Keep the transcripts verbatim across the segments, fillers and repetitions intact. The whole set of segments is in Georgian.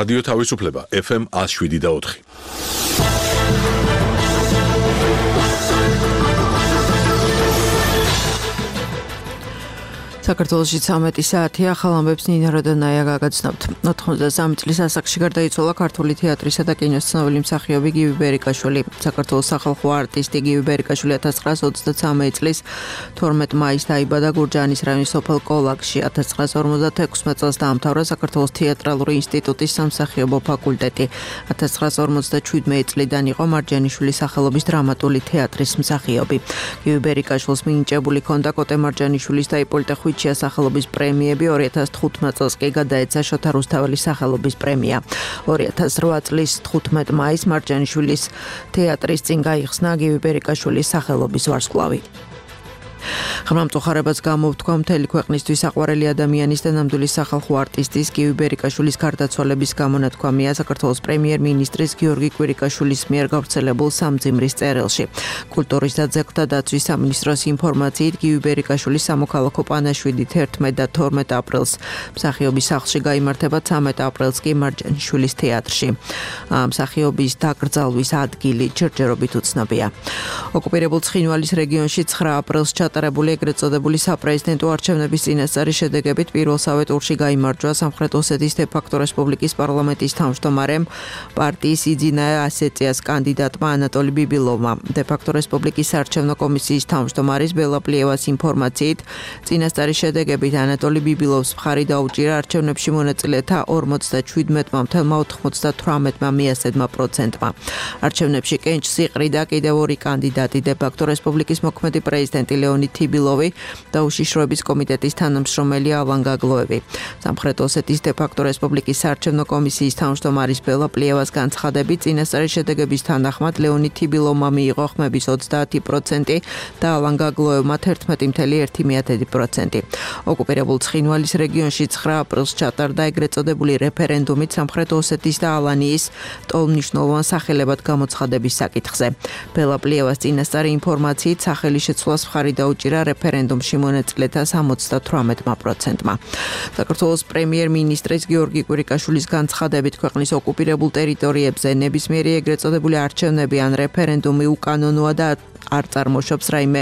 რადიო თავისუფლება ეფ ემ one oh seven და four. საქართველოში ცამეტი საათია, ახალ ამბებს ნინა როდონაია გაგაცნობთ. ოთხმოცდასამი წლის ასაკში გარდაიცვალა ქართული თეატრისა და კინოს ცნობილი მსახიობი გივი ბერიკაშვილი. საქართველოს სახალხო არტისტი გივი ბერიკაშვილი ათას ცხრაას ოცდაცამეტი წლის თორმეტ მაისს დაიბადა გურჯაანის რაიონის სოფელ კოლაკში. ათას ცხრაას ორმოცდათექვსმეტ წელს დაამთავრა საქართველოს თეატრალური ინსტიტუტის სამსახიობო ფაკულტეტი. ათას ცხრაას ორმოცდაშვიდმეტი წლიდან იყო მარჯანიშვილის სახელობის დრამატული თეატრის მსახიობი. გივი ბერიკაშვილს მინიჭებული ჰქონდა კოტე მარჯანიშვილის და იპოლიტე ხვიჩიას სახელობის პრემიები, ორი ათას თხუთმეტ წელს კი გადაეცა შოთა რუსთაველის სახელობის პრემია. ორი ათას რვა წლის თხუთმეტ მაისს მარჯანიშვილის თეატრის წინ გაიხსნა გივი ბერიკაშვილის სახელობის ვარსკვლავი. ღრმამწუხარებას გამოვთქვა მთელი ქვეყნისთვის საყვარელი ადამიანის და ნამდვილი სახალხო არტისტის გივი ბერიკაშვილის გარდაცვალების გამონათქვამია საქართველოს პრემიერ-მინისტრის გიორგი კვირიკაშვილის მიერ გავრცელებულ სამძიმრის წერილში. კულტურის და ძეგლთა დაცვის სამინისტროს ინფორმაციით გივი ბერიკაშვილის სამოქალაქო პანაშვიდით ერთმეტ და თორმეტ აპრილს მსახიობის სახლში გაიმართება, ცამეტ აპრილს კი მარჯანიშვილის თეატრში. მსახიობის დაკრძალვის ადგილი ჯერჯერობით უცნობია. ოკუპირებულ ცხინვალის რეგიონში ცხრა აპრილს ჩატარებული ეგრეთ წოდებული საპრეზიდენტო არჩევნების წინასწარი შედეგებით პირველსავე ტურში გაიმარჯვა სამხრეთ ოსეთის დე-ფაქტო რესპუბლიკის პარლამენტის თავმჯდომარემ პარტიის იძინა ასეციის კანდიდატმა ანატოლი ბიბილოვმა. დე-ფაქტო რესპუბლიკის საარჩევნო კომისიის თავმჯდომარის ბელა პლიევას ინფორმაციით წინასწარი შედეგებით ანატოლი ბიბილოვს მხარი დაუჭირა არჩევნებში მონაწილეთა ორმოცდაშვიდმეტმა ოცდათვრამეტმა მიასედმა პროცენტმა. არჩევნებში კენჭს იყრიდა კიდევ ორი კანდიდატი დე-ფაქტო რესპუბლიკის მოქმედი პრეზიდენტი ლეონიდ თიბილოვი და უშიშროების კომიტეტის თანამშრომელი ალან გაგლოევი. სამხრეთ ოსეთის დე-ფაქტო რესპუბლიკის საარჩევნო კომისიის თავმჯდომარის ბელა პლიევას განცხადებით წინასწარი შედეგების თანახმად ლეონიდ თიბილოვმა მიიღო ხმების ოცდაათი პროცენტი და ალან გაგლოევმა თერთმეტი წამსვლელი ერთი მიათედი პროცენტი. ოკუპირებულ ცხინვალის რეგიონში ცხრა აპრილს ჩატარდა ეგრეთ წოდებული რეფერენდუმით სამხრეთ ოსეთის და ალანიის ტოლმნიშნულოვან სახელებად გამოცხადების საკითხზე. ბელა პლიევას წინასწარი ინფორმაციით სახელი შეცვლას მხარი დაუჭირა რეფერენდუმში მონაწილეთა სამოცდათვრამეტმა პროცენტმა. საქართველოს პრემიერ-მინისტრის გიორგი კვირიკაშვილის განცხადებით ქვეყნის ოკუპირებულ ტერიტორიებზე ნებისმიერი ეგრეთ წოდებული არჩევნები ან რეფერენდუმი უკანონოა და არ წარმოშობს რაიმე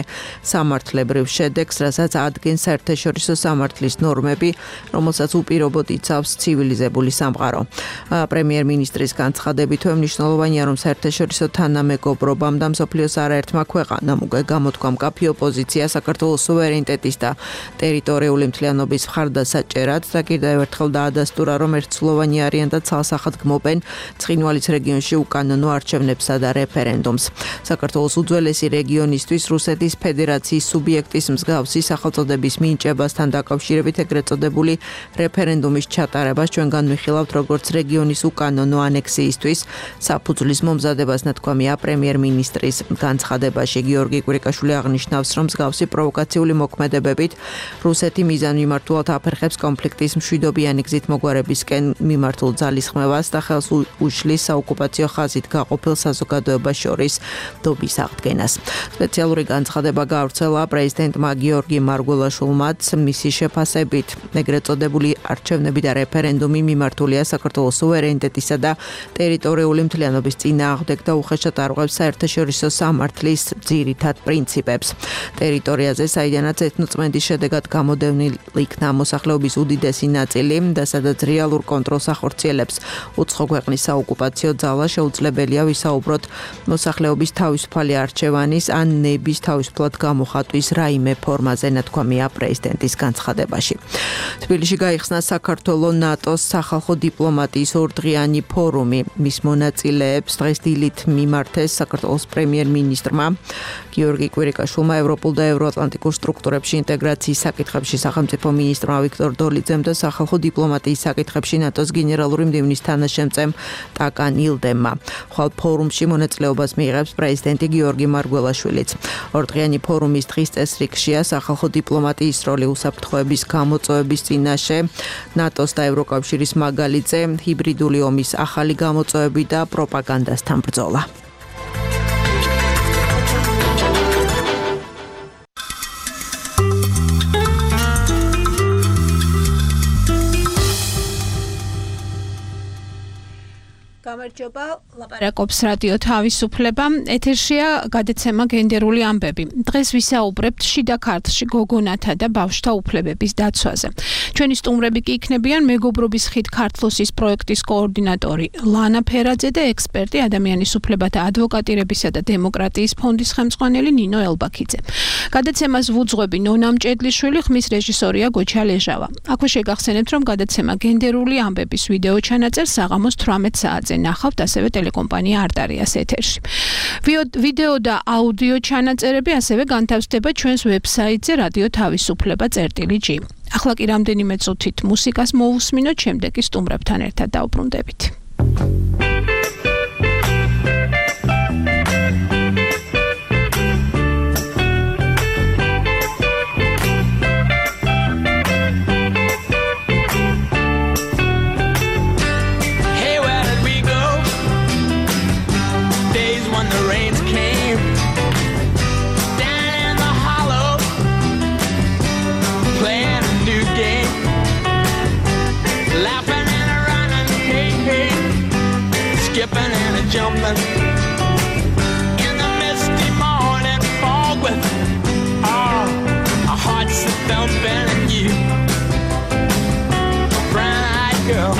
სამართლებრივ შედეგს, რასაც ადგენს საერთაშორისო სამართლის ნორმები, რომელსაც უპირობოდ იცავს ცივილიზებული სამყარო. პრემიერ-მინისტრის განცხადებით მნიშვნელოვანია, რომ საერთაშორისო თანამეგობრობამ და მსოფლიოს არაერთმა ქვეყანამ უკვე გამოთქვა მკაფიო პოზიცია საქართველოს სუვერენიტეტის და ტერიტორიული მთლიანობის მხარდასაჭერად და კიდევ ერთხელ დაადასტურა, რომ ერთსულოვანი არიან და ცალსახად გმობენ ცხინვალის რეგიონში უკანონო არჩევნებსა და რეფერენდუმს. საქართველოს უძველესი რეგიონისთვის რუსეთის ფედერაციის სუბიექტის მსგავსი სახელწოდების მინიჭებასთან დაკავშირებით ეგრეთ წოდებული რეფერენდუმის ჩატარებას ჩვენ განვიხილავთ როგორც რეგიონის უკანონო ანექსიისთვის საფუძვლის მომზადებას, ნათქვამია პრემიერ-მინისტრის განცხადებაში. გიორგი კვირიკაშვილი აღნიშნავს, რომ მსგავსი პროვოკაციული მოქმედებებით რუსეთი მიზანმიმართულად აფერხებს კონფლიქტის მშვიდობიანი გზით მოგვარებისკენ მიმართულ ძალისხმევას და ხელს უშლის საოკუპაციო ხაზით გაყოფილ საზოგადოებას შორის დობის აღდგენას. სპეციალური განცხადება გავრცელა პრეზიდენტმა გიორგი მარგველაშვილმაც. მისი შეფასებით ეგრეთ წოდებული არჩევნები და რეფერენდუმი მიმართულია საქართველოს სუვერენიტეტისა და ტერიტორიული მთლიანობის წინააღმდეგ და უხეშად არღვევს საერთაშორისო სამართლის ძირითად პრინციპებს. ტერიტორიაზე, საიდანაც ეთნოწმენდის შედეგად გამოდევნილ იქნა მოსახლეობის უდიდესი ნაწილი და სადაც რეალურ კონტროლს ახორციელებს უცხო ქვეყნის საოკუპაციო ძალა, შეუძლებელია ვისაუბროთ მოსახლეობის თავისუფალი არჩევანის ან ნების თავისუფლად გამოხატვის რაიმე ფორმაზე, ნათქვამია პრეზიდენტის განცხადებაში. თბილისში გაიხსნა საქართველოს ნატოს სახალხო დიპლომატიის ორდღიანი ფორუმი. მის მონაწილეებს დღეს დილით მიმართეს საქართველოს პრემიერ-მინისტრმა გიორგი კვირიკაშვილმა, ევროპულ და ევროატლანტიკურ სტრუქტურებში ინტეგრაციის საკითხებში სახელმწიფო მინისტრმა ვიქტორ დოლიძემ და სახალხო დიპლომატიის საკითხებში ნატოს გენერალური მდივნის თანაშემწემ ტაკან ილდემმა. ხვალ ფორუმში მონაწილეობას მიიღებს პრეზიდენტი გიორგი მარგველაშვილიც. ორდღიანი ფორუმის დღის წესრიგშია სახალხო დიპლომატიის როლი უსაფრთხოების გამოწვევების წინაშე, ნატოს და ევროკავშირის მაგალითზე, ჰიბრიდული ომის ახალი გამოწვევები და პროპაგანდასთან ბრძოლა. გამარჯობა, ლაპარაკობს რადიო თავისუფლება. ეთერშია გადაცემა გენდერული ამბები. დღეს ვისაუბრებთ შიდა ქართლში გოგონათა და ბავშვთა უფლებების დაცვაზე. ჩვენი სტუმრები კი იქნებიან მეგობრობის ხიდ ქართლოსის პროექტის კოორდინატორი ლანა ფერაძე და ექსპერტი ადამიანის უფლებათა ადვოკატირებისა და დემოკრატიის ფონდის ხელმძღვანელი ნინო ელბაქიძე. გადაცემას ვუძღვები ნონა მჭედლიშვილი, ხმის რეჟისორია გოჩა ლეჟავა. აქვე შეგახსენებთ, რომ გადაცემა გენდერული ამბების ვიდეო ჩანაწერს საღამოს თვრამეტ საათზე ნახავთ ასევე ტელეკომპანია არტარიას ეთერში. ვიდეო და აუდიო ჩანაწერები ასევე განთავსდება ჩვენს ვებსაიტზე რადიო თავისუფლება წერტილი ჯი. ახლა კი რამდენიმე წუთით მუსიკას მოусმინოთ, შემდეგ კი სტუმრებთან ერთად დავბრუნდებით. Jumping in the misty morning fog with oh, our hearts thumping and you, a brown-eyed girl.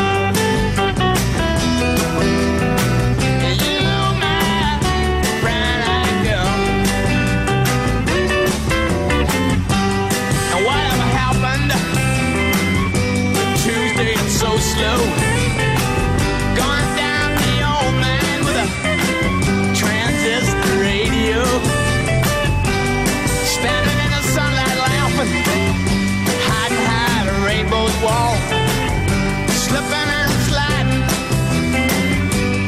You, my brown-eyed girl. And whatever happened Tuesday, it's so slow. Wall, slipping and sliding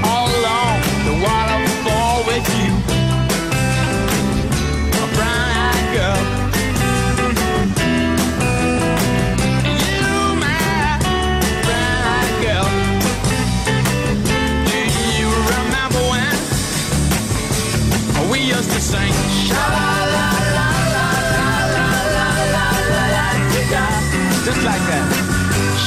all along the waterfall with you, a brown-eyed girl. You, my brown-eyed girl. Do you remember when we used to sing? Sha-la-la-la-la-la-la-la-la-la-la-la-la, just like that.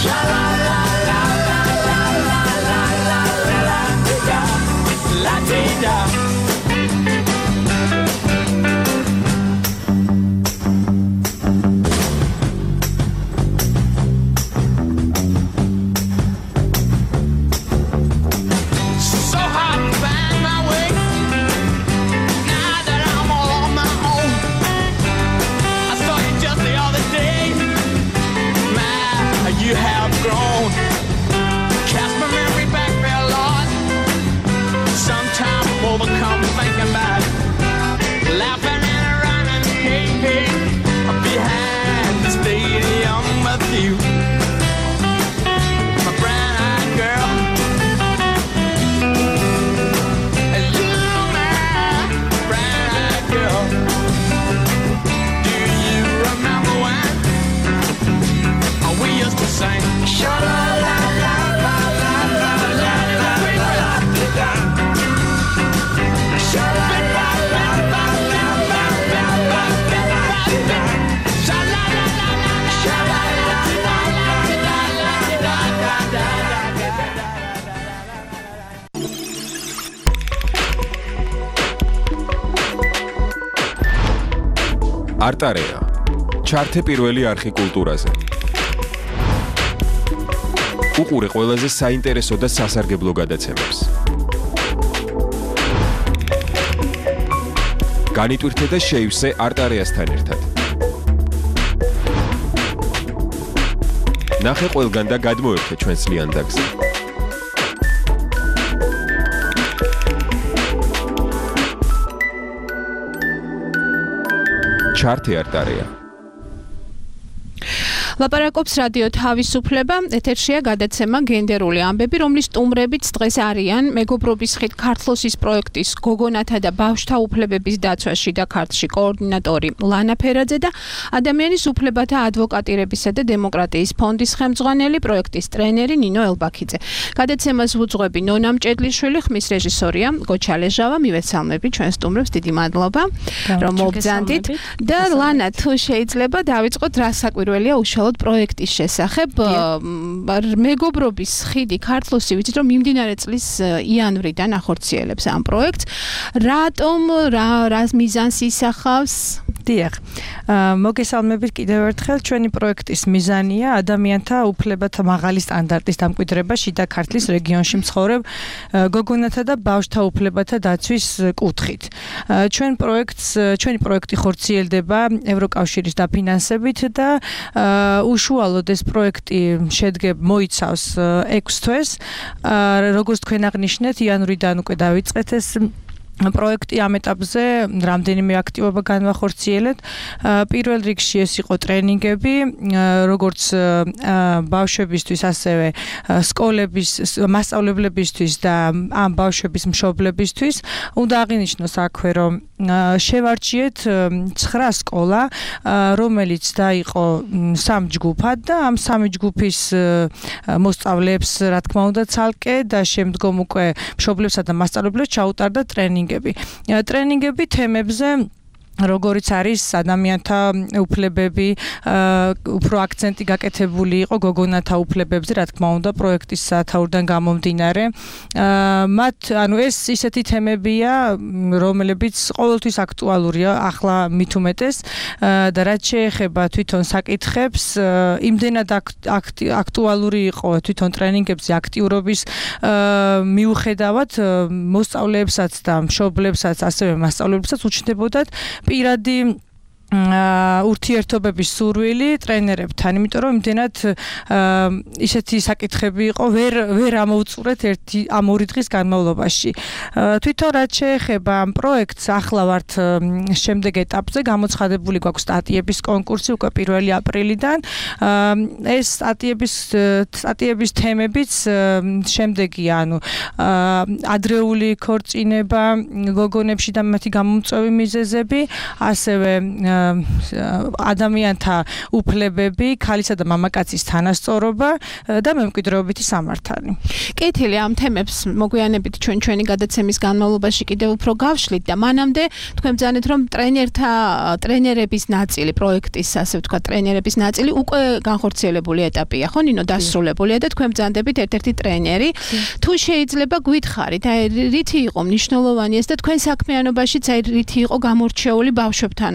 Sha-la-la-la-la-la-la-la-la-la-la-la-la-la. So hard to find my way now that I'm all on my own. I saw you just the other day. You have grown. Cast my memory back there, Lord. Sometimes I'm overcome thinking about it. Laughing and running, hey, hey, behind the stadium with you, my brown-eyed girl. You, my brown-eyed girl. Do you remember when we used to sing? Sha-la-la-la-la-la-la-la-la-la-la-la. არტარია. ჩართე პირველი არხი კულტურაზე. უყურე ყველაზე საინტერესო და სასარგებლო გადაცემებს. განიტვირთე და შეივსე არტარიასთან ერთად. ნახე ყველგან და გადმოერთე ჩვენს ლიანდაგზე. ჩართე არტარია. ლაპარაკობს რადიო თავისუფლება, ეთერშია გადაცემა გენდერული ამბები, რომლის სტუმრებიც დღეს არიან მეგობრობის ხიდ ქართლოსის პროექტის გოგონათა და ბავშვთა უფლებების დაცვაში და ქართლში კოორდინატორი ლანა ფერაძე და ადამიანის უფლებათა ადვოკატირებისა და დემოკრატიის ფონდის ხელმძღვანელი პროექტის ტრენერი ნინო ელბაქიძე. გადაცემას ვუძღვები ნონა მჭედლიშვილი, ხმის რეჟისორია გოჩა ლეჟავა. მივესალმები ჩვენ სტუმრებს, დიდი მადლობა რომ მოგზანდით და ლანა, თუ შეიძლება დავიწყოთ, რა საკვირველია უშუალოდ სპეციალურად პროექტის შესახებ. მეგობრობის ხიდი ქართლოსი ვიცით რომ მიმდინარე წლის იანვრიდან ახორციელებს ამ პროექტს. რატომ რა რას მიზანს ისახავს? დიახ. მოგესალმებით კიდევ ერთხელ. ჩვენი პროექტის მიზანია ადამიანთა უფლებათა მაღალი სტანდარტის დამკვიდრება შიდა ქართლის რეგიონში მცხოვრებ გოგონათა და ბავშვთა უფლებათა დაცვის კუთხით. ჩვენ პროექტს ჩვენი პროექტი ხორციელდება ევროკავშირის დაფინანსებით და უშუალოდ ეს პროექტი შედგება მოიცავს ექვს თვეს. როგორც თქვენ აღნიშნეთ, იანვრიდან უკვე დავიწყეთ ეს პროექტი ამ ეტაპზე რამდენიმე აქტივობა განვახორციელეთ. პირველ რიგში ეს იყო ტრენინგები, როგორც ბავშვებისთვის, ასევე სკოლების მასწავლებლებისთვის და ამ ბავშვების მშობლებისთვის. უნდა აღინიშნოს აქვე, რომ შევარჩიეთ ცხრა სკოლა, რომელიც დაიყო სამ ჯგუფად და ამ სამი ჯგუფის მოსწავლეებს, რა თქმა უნდა, ცალკე და შემდგომ უკვე მშობლებსა და მასწავლებლებს ჩაუტარდა ტრენინგი. ტრენინგები თემებზე როგორიც არის ადამიანთა უფლებები, უფრო აქცენტი გაკეთებული იყო გოგონათა უფლებებზე, რა თქმა უნდა, პროექტის სათაურიდან გამომდინარე. მათ, ანუ ეს ისეთი თემებია, რომლებიც ყოველთვის აქტუალურია, ახლა მით უმეტეს და რაც შეეხება თვითონ საკითხებს, იმდენად აქტუალური იყო თვითონ ტრენინგებზე აქტიურობის მიუხედავად მოსწავლეებსაც და მშობლებსაც, ასევე მასწავლებლებსაც უჩნდებოდათ პირადი ურთიერთობების სურვილი ტრენერებთან, იმიტომ რომ იმდენად ისეთი საკითხები იყო, ვერ ვერ ამოუწურეთ ერთი ამ ორი დღის განმავლობაში. თვითონ რაც შეეხება ამ პროექტს, ახლა ვართ შემდეგ ეტაპზე, გამოცხადებული გვაქვს სტატიების კონკურსი უკვე პირველი აპრილიდან. ეს სტატიების სტატიების თემებიც შემდეგია, ანუ ადრეული ქორწინება გოგონებში და მათი გამომწვევი მიზეზები, ასევე ადამიანთა უფლებები, ქალისა და მამაკაცის თანასწორობა და მემკვიდრეობითი სამართალი. კეთილი, ამ თემებს მოგვიანებით ჩვენ ჩვენი გადაცემის განმავლობაში კიდევ უფრო გავშლით და მანამდე თქვენ ბრძანეთ რომ ტრენერთა ტრენერების ნაწილი პროექტის, ასე ვთქვათ, ტრენერების ნაწილი უკვე განხორციელებული ეტაპია, ხო ნინო, დასრულებულია და თქვენ ბრძანდებით ერთ-ერთი ტრენერი. თუ შეიძლება გვითხრით, აი რითი იყო მნიშვნელოვანი ეს და თქვენ საქმიანობაშიც აი რითი იყო გამორჩეული ბავშვებთან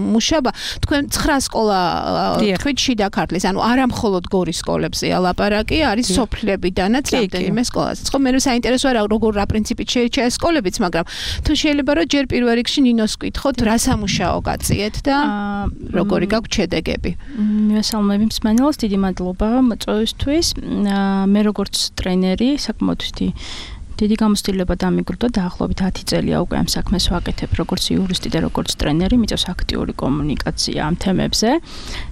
მუშაობა, თქვენ ცხრა სკოლა თქვით შიდა ქართლის, ანუ არა მხოლოდ გორის სკოლებზეა ლაპარაკი, არის სოფლებიდანაც რამდენიმე სკოლაც. ხო, მე საინტერესოა რა როგორ რა პრინციპით შეირჩა ეს სკოლებიც, მაგრამ თუ შეიძლება რომ ჯერ პირველ რიგში ნინოს ვკითხოთ, რა სამუშაო გაწიეთ და როგორი გაქვთ შედეგები. მესალმები მსმენელს, დიდი მადლობა მოწვევისთვის. მე როგორც ტრენერი, საკმაოდ დიდი გამოცდილება დამიგრდა, დაახლოებით ათი წელია უკვე ამ საქმეს ვაკეთებ, როგორც იურისტი და როგორც ტრენერი, მიწევს აქტიური კომუნიკაცია ამ თემებზე.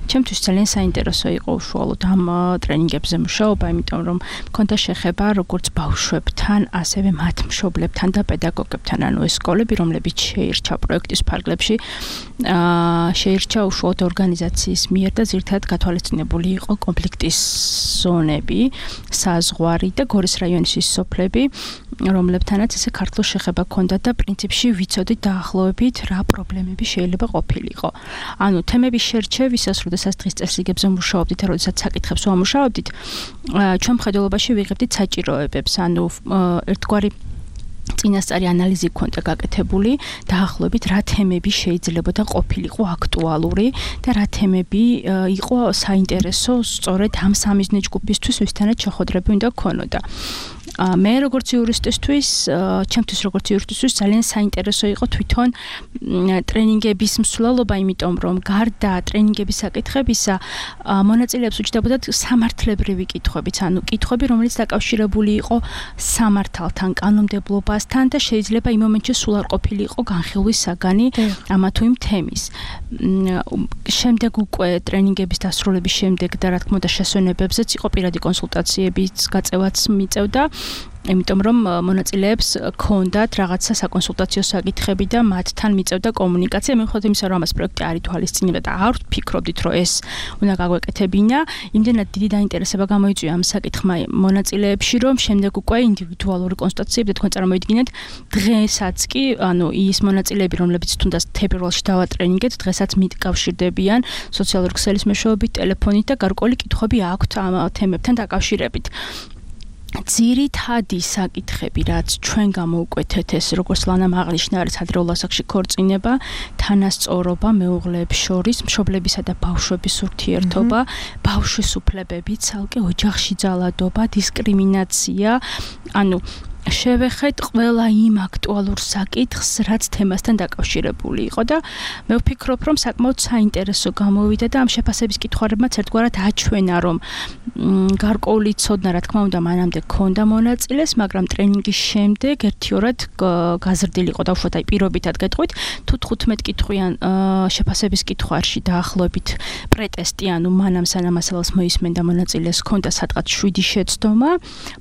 ჩემთვის ძალიან საინტერესო იყო უშუალოდ ამ ტრენინგებზე მუშაობა, იმიტომ რომ მქონდა შეხება როგორც ბავშვებთან, ასევე მათ მშობლებთან და პედაგოგებთან, ანუ ეს სკოლები, რომლებიც შეირჩა პროექტის ფარგლებში, შეირჩა უშუალოდ ორგანიზაციის მიერ და ძირითადად გათვალისწინებული იყო კონფლიქტის ზონები, საზღვარი და გორის რაიონის ის სოფლები, რომლებთანაც ესე ქართულ შეხება ჰქონდა და პრინციპში ვიცოდით დაახლოებით რა პრობლემები შეიძლება ყოფილიყო. ანუ თემების შერჩევისას, როდესაც დღის წესრიგებზე მუშაობდით, როდესაც საკითხებს ვამუშავებდით, ჩვენ მხედველობაში ვიღებდით საჭიროებებს, ანუ ერთგვარი წინასწარი ანალიზი ჰქონდა გაკეთებული, დაახლოებით რა თემები შეიძლება და ყოფილიყო აქტუალური და რა თემები იყო საინტერესო სწორედ ამ სამიზნე ჯგუფისთვის, ვისთანაც შეხვედრები უნდა გქონოდა. მე როგორც იურისტისთვის, ჩემთვის როგორც იურისტისთვის ძალიან საინტერესო იყო თვითონ ტრენინგების მსვლელობა, იმიტომ რომ გარდა ტრენინგების საკითხებისა, მონაწილეებს უჯდებოდათ სამართლებრივი კითხვებიც, ანუ კითხვები, რომელიც დაკავშირებული იყო სამართალთან, კანონმდებლობასთან და შეიძლება იმ მომენტში სულ არ ყოფილიყო განხილვის საგანი ამა თუ იმ თემის. შემდეგ უკვე ტრენინგების დასრულების შემდეგ და რა თქმა უნდა შესვენებებზეც იყო პირადი კონსულტაციების გაწევაც მიწევდა. იმიტომ რომ მონაწილეებს ქონდათ რაღაცა საკონსულტაციო საკითხები და მათთან მიწევდა კომუნიკაცია. მიუხედავად იმისა, რომ ამას პროექტი არ ითვალისწინებდა და არ ვფიქრობდით, რომ ეს უნდა გაგვეკეთებინა, იმდენად დიდი დაინტერესება გამოიწვია ამ საკითხმა მონაწილეებში, რომ შემდეგ უკვე ინდივიდუალური კონსულტაციები და თქვენ წარმოიდგინეთ, დღესაც კი, ანუ ის მონაწილეები, რომლებიც თუნდაც თებერვალში დავატრენინგეთ, დღესაც მიკავშირდებიან სოციალური ქსელის მეშვეობით, ტელეფონით და გარკვეული კითხვები აქვთ ამ თემებთან დაკავშირებით. ძირითადი საკითხები, რაც ჩვენ გამოვკვეთეთ, ეს როგორც ლანამ აღნიშნა, არის ადრეულ ასაკში ქორწინება, თანასწორობა მეუღლეებს შორის, მშობლებისა და ბავშვების ურთიერთობა, ბავშვის უფლებები, ცალკე ოჯახში ძალადობა, დისკრიმინაცია, ანუ შევეხეთ ყველა იმ აქტუალურ საკითხს, რაც თემასთან დაკავშირებული იყო და მე ვფიქრობ, რომ საკმაოდ საინტერესო გამოვიდა და ამ შეფასების კითხვარებმაც ერთგვარად აჩვენა, რომ გარკვეული ცოდნა, რა თქმა უნდა, მანამდე ქონდა მონაწილეს, მაგრამ ტრენინგის შემდეგ ერთიორად გაზრდილი იყო და უშუალოდ აი პირობითად გეტყვით, თუ თხუთმეტ კითხვიან შეფასების კითხვარში დაახლოებით პრეტესტი, ანუ მანამ სანამ მასალას მოისმენდა მონაწილეს ქონდა სადღაც შვიდი შეცდომა,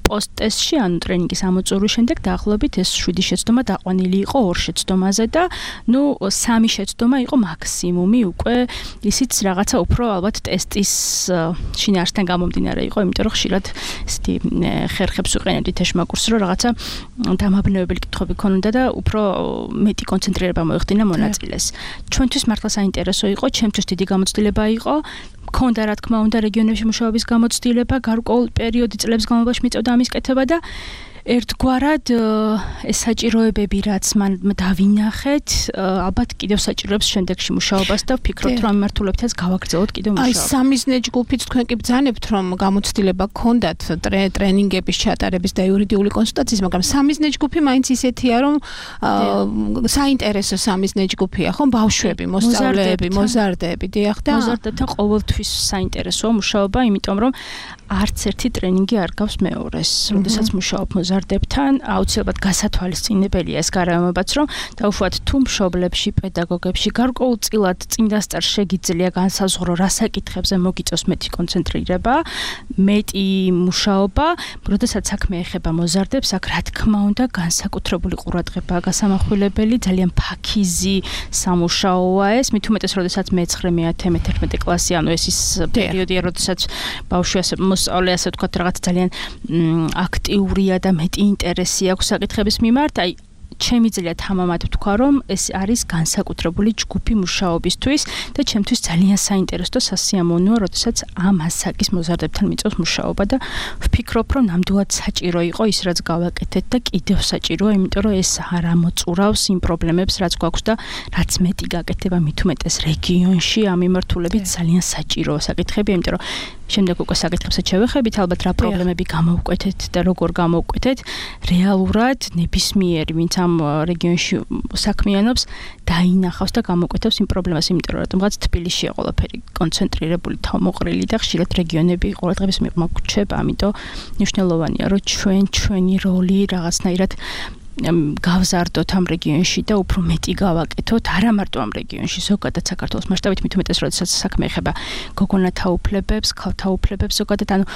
პოსტ-ტესტში, ანუ ტრენინგის ამოწურვის შემდეგ დაახლოებით ეს შვიდი შეცდომა დაყვანილი იყო ორ შეცდომაზე და ნუ სამი შეცდომა იყო მაქსიმუმი უკვე ისიც რაღაცა უფრო ალბათ ტესტის შინაარსთან გამომდინარე იყო, იმიტომ რომ ხშირად ესეთი ხერხებს ვიყენებდით ეშმაკურსს, რომ რაღაცა დამაბნევებელი კითხვები ქონოდა და უფრო მეტი კონცენტრირება მოეხდინა მონაწილეს. ჩვენთვის მართლა საინტერესო იყო, ჩემთვის დიდი გამოცდილება იყო. ქონდა რა თქმა უნდა რეგიონებში მუშაობის გამოცდილება, გარკვეულ პერიოდი წლების განმავლობაში მიწევდა ამის კეთება და ერთგვარად ეს საჭიროებები, რაც მან დავინახეთ, ალბათ კიდევ საჭიროებს შემდეგში მუშაობას და ვფიქრობთ, რომ ამ მიმართულებითაც გავაგრძელოთ კიდევ მუშაობა. აი სამიზნე ჯგუფიც თქვენ კი ბრძანებთ, რომ გამოცდილება გქონდათ ტრენინგების ჩატარების და იურიდიული კონსულტაციის, მაგრამ სამიზნე ჯგუფი მაინც ისეთია, რომ საინტერესო სამიზნე ჯგუფია, ხო, ბავშვები, მოსწავლეები, მოზარდები, დიახ და მოზარდებთან ყოველთვის საინტერესოა მუშაობა, იმიტომ რომ არც ერთი ტრენინგი არ გავს მეორეს. როდესაც მუშაობ მოზარდებთან, აუცილებლად გასათვალისწინებელია ეს გარემოებაც, რომ დაუშვათ თუ მშობლებში, პედაგოგებში გარკვეულწილად წინდასწარ შეგიძლია განსაზღვრო რა საკითხებზე მოგიწევს მეტი კონცენტრირება, მეტი მუშაობა, როდესაც საქმე ეხება მოზარდებს, აქ რა თქმა უნდა განსაკუთრებული ყურადღებაა გასამახვილებელი, ძალიან ფაქიზი სამუშაოა ეს, მით უმეტეს როდესაც მეცხრე, მეათე, მეთერთმეტე კლასი, ანუ ეს ის პერიოდია, როდესაც ბავშვი ასე მოსწავლე ასე ვთქვათ რაღაც ძალიან აქტიურია და მეტი ინტერესი აქვს საკითხების მიმართ, აი ჩემი ძლია თამამად ვთქვა, რომ ეს არის განსაკუთრებული ჯგუფი მუშაობისთვის და ჩემთვის ძალიან საინტერესო და სასიამოვნოა, როდესაც ამ ასაკის მოზარდებთან მიწევს მუშაობა და ვფიქრობ, რომ ნამდვილად საჭირო იყო ის, რაც გავაკეთეთ და კიდევ საჭიროა, იმიტომ რომ ეს არ ამოწურავს იმ პრობლემებს, რაც გვაქვს და რაც მეტი გაკეთება მით უმეტეს რეგიონში ამ მიმართულებით ძალიან საჭიროა საკითხები, იმიტომ რომ შემდეგ უკვე საკითხებსაც შევეხებით, ალბათ რა პრობლემები გამოვკვეთეთ და როგორ გამოვკვეთეთ, რეალურად ნებისმიერი, ვინც ამ რეგიონში საქმიანობს, დაინახავს და გამოკვეთავს იმ პრობლემას, იმიტომ რომ რატომღაც თბილისშია ყველაფერი კონცენტრირებული, თავმოყრილი და ხშირად რეგიონები ყურადღების მიღმა გრჩება, ამიტომ მნიშვნელოვანია, რომ ჩვენ ჩვენი როლი რაღაცნაირად გავზარდოთ ამ რეგიონში და უფრო მეტი გავაკეთოთ, არა მარტო ამ რეგიონში, ზოგადად საქართველოს მასშტაბით, მით უმეტეს, როდესაც საქმე ეხება გოგონათა უფლებებს, ქალთა უფლებებს, ზოგადად, ანუ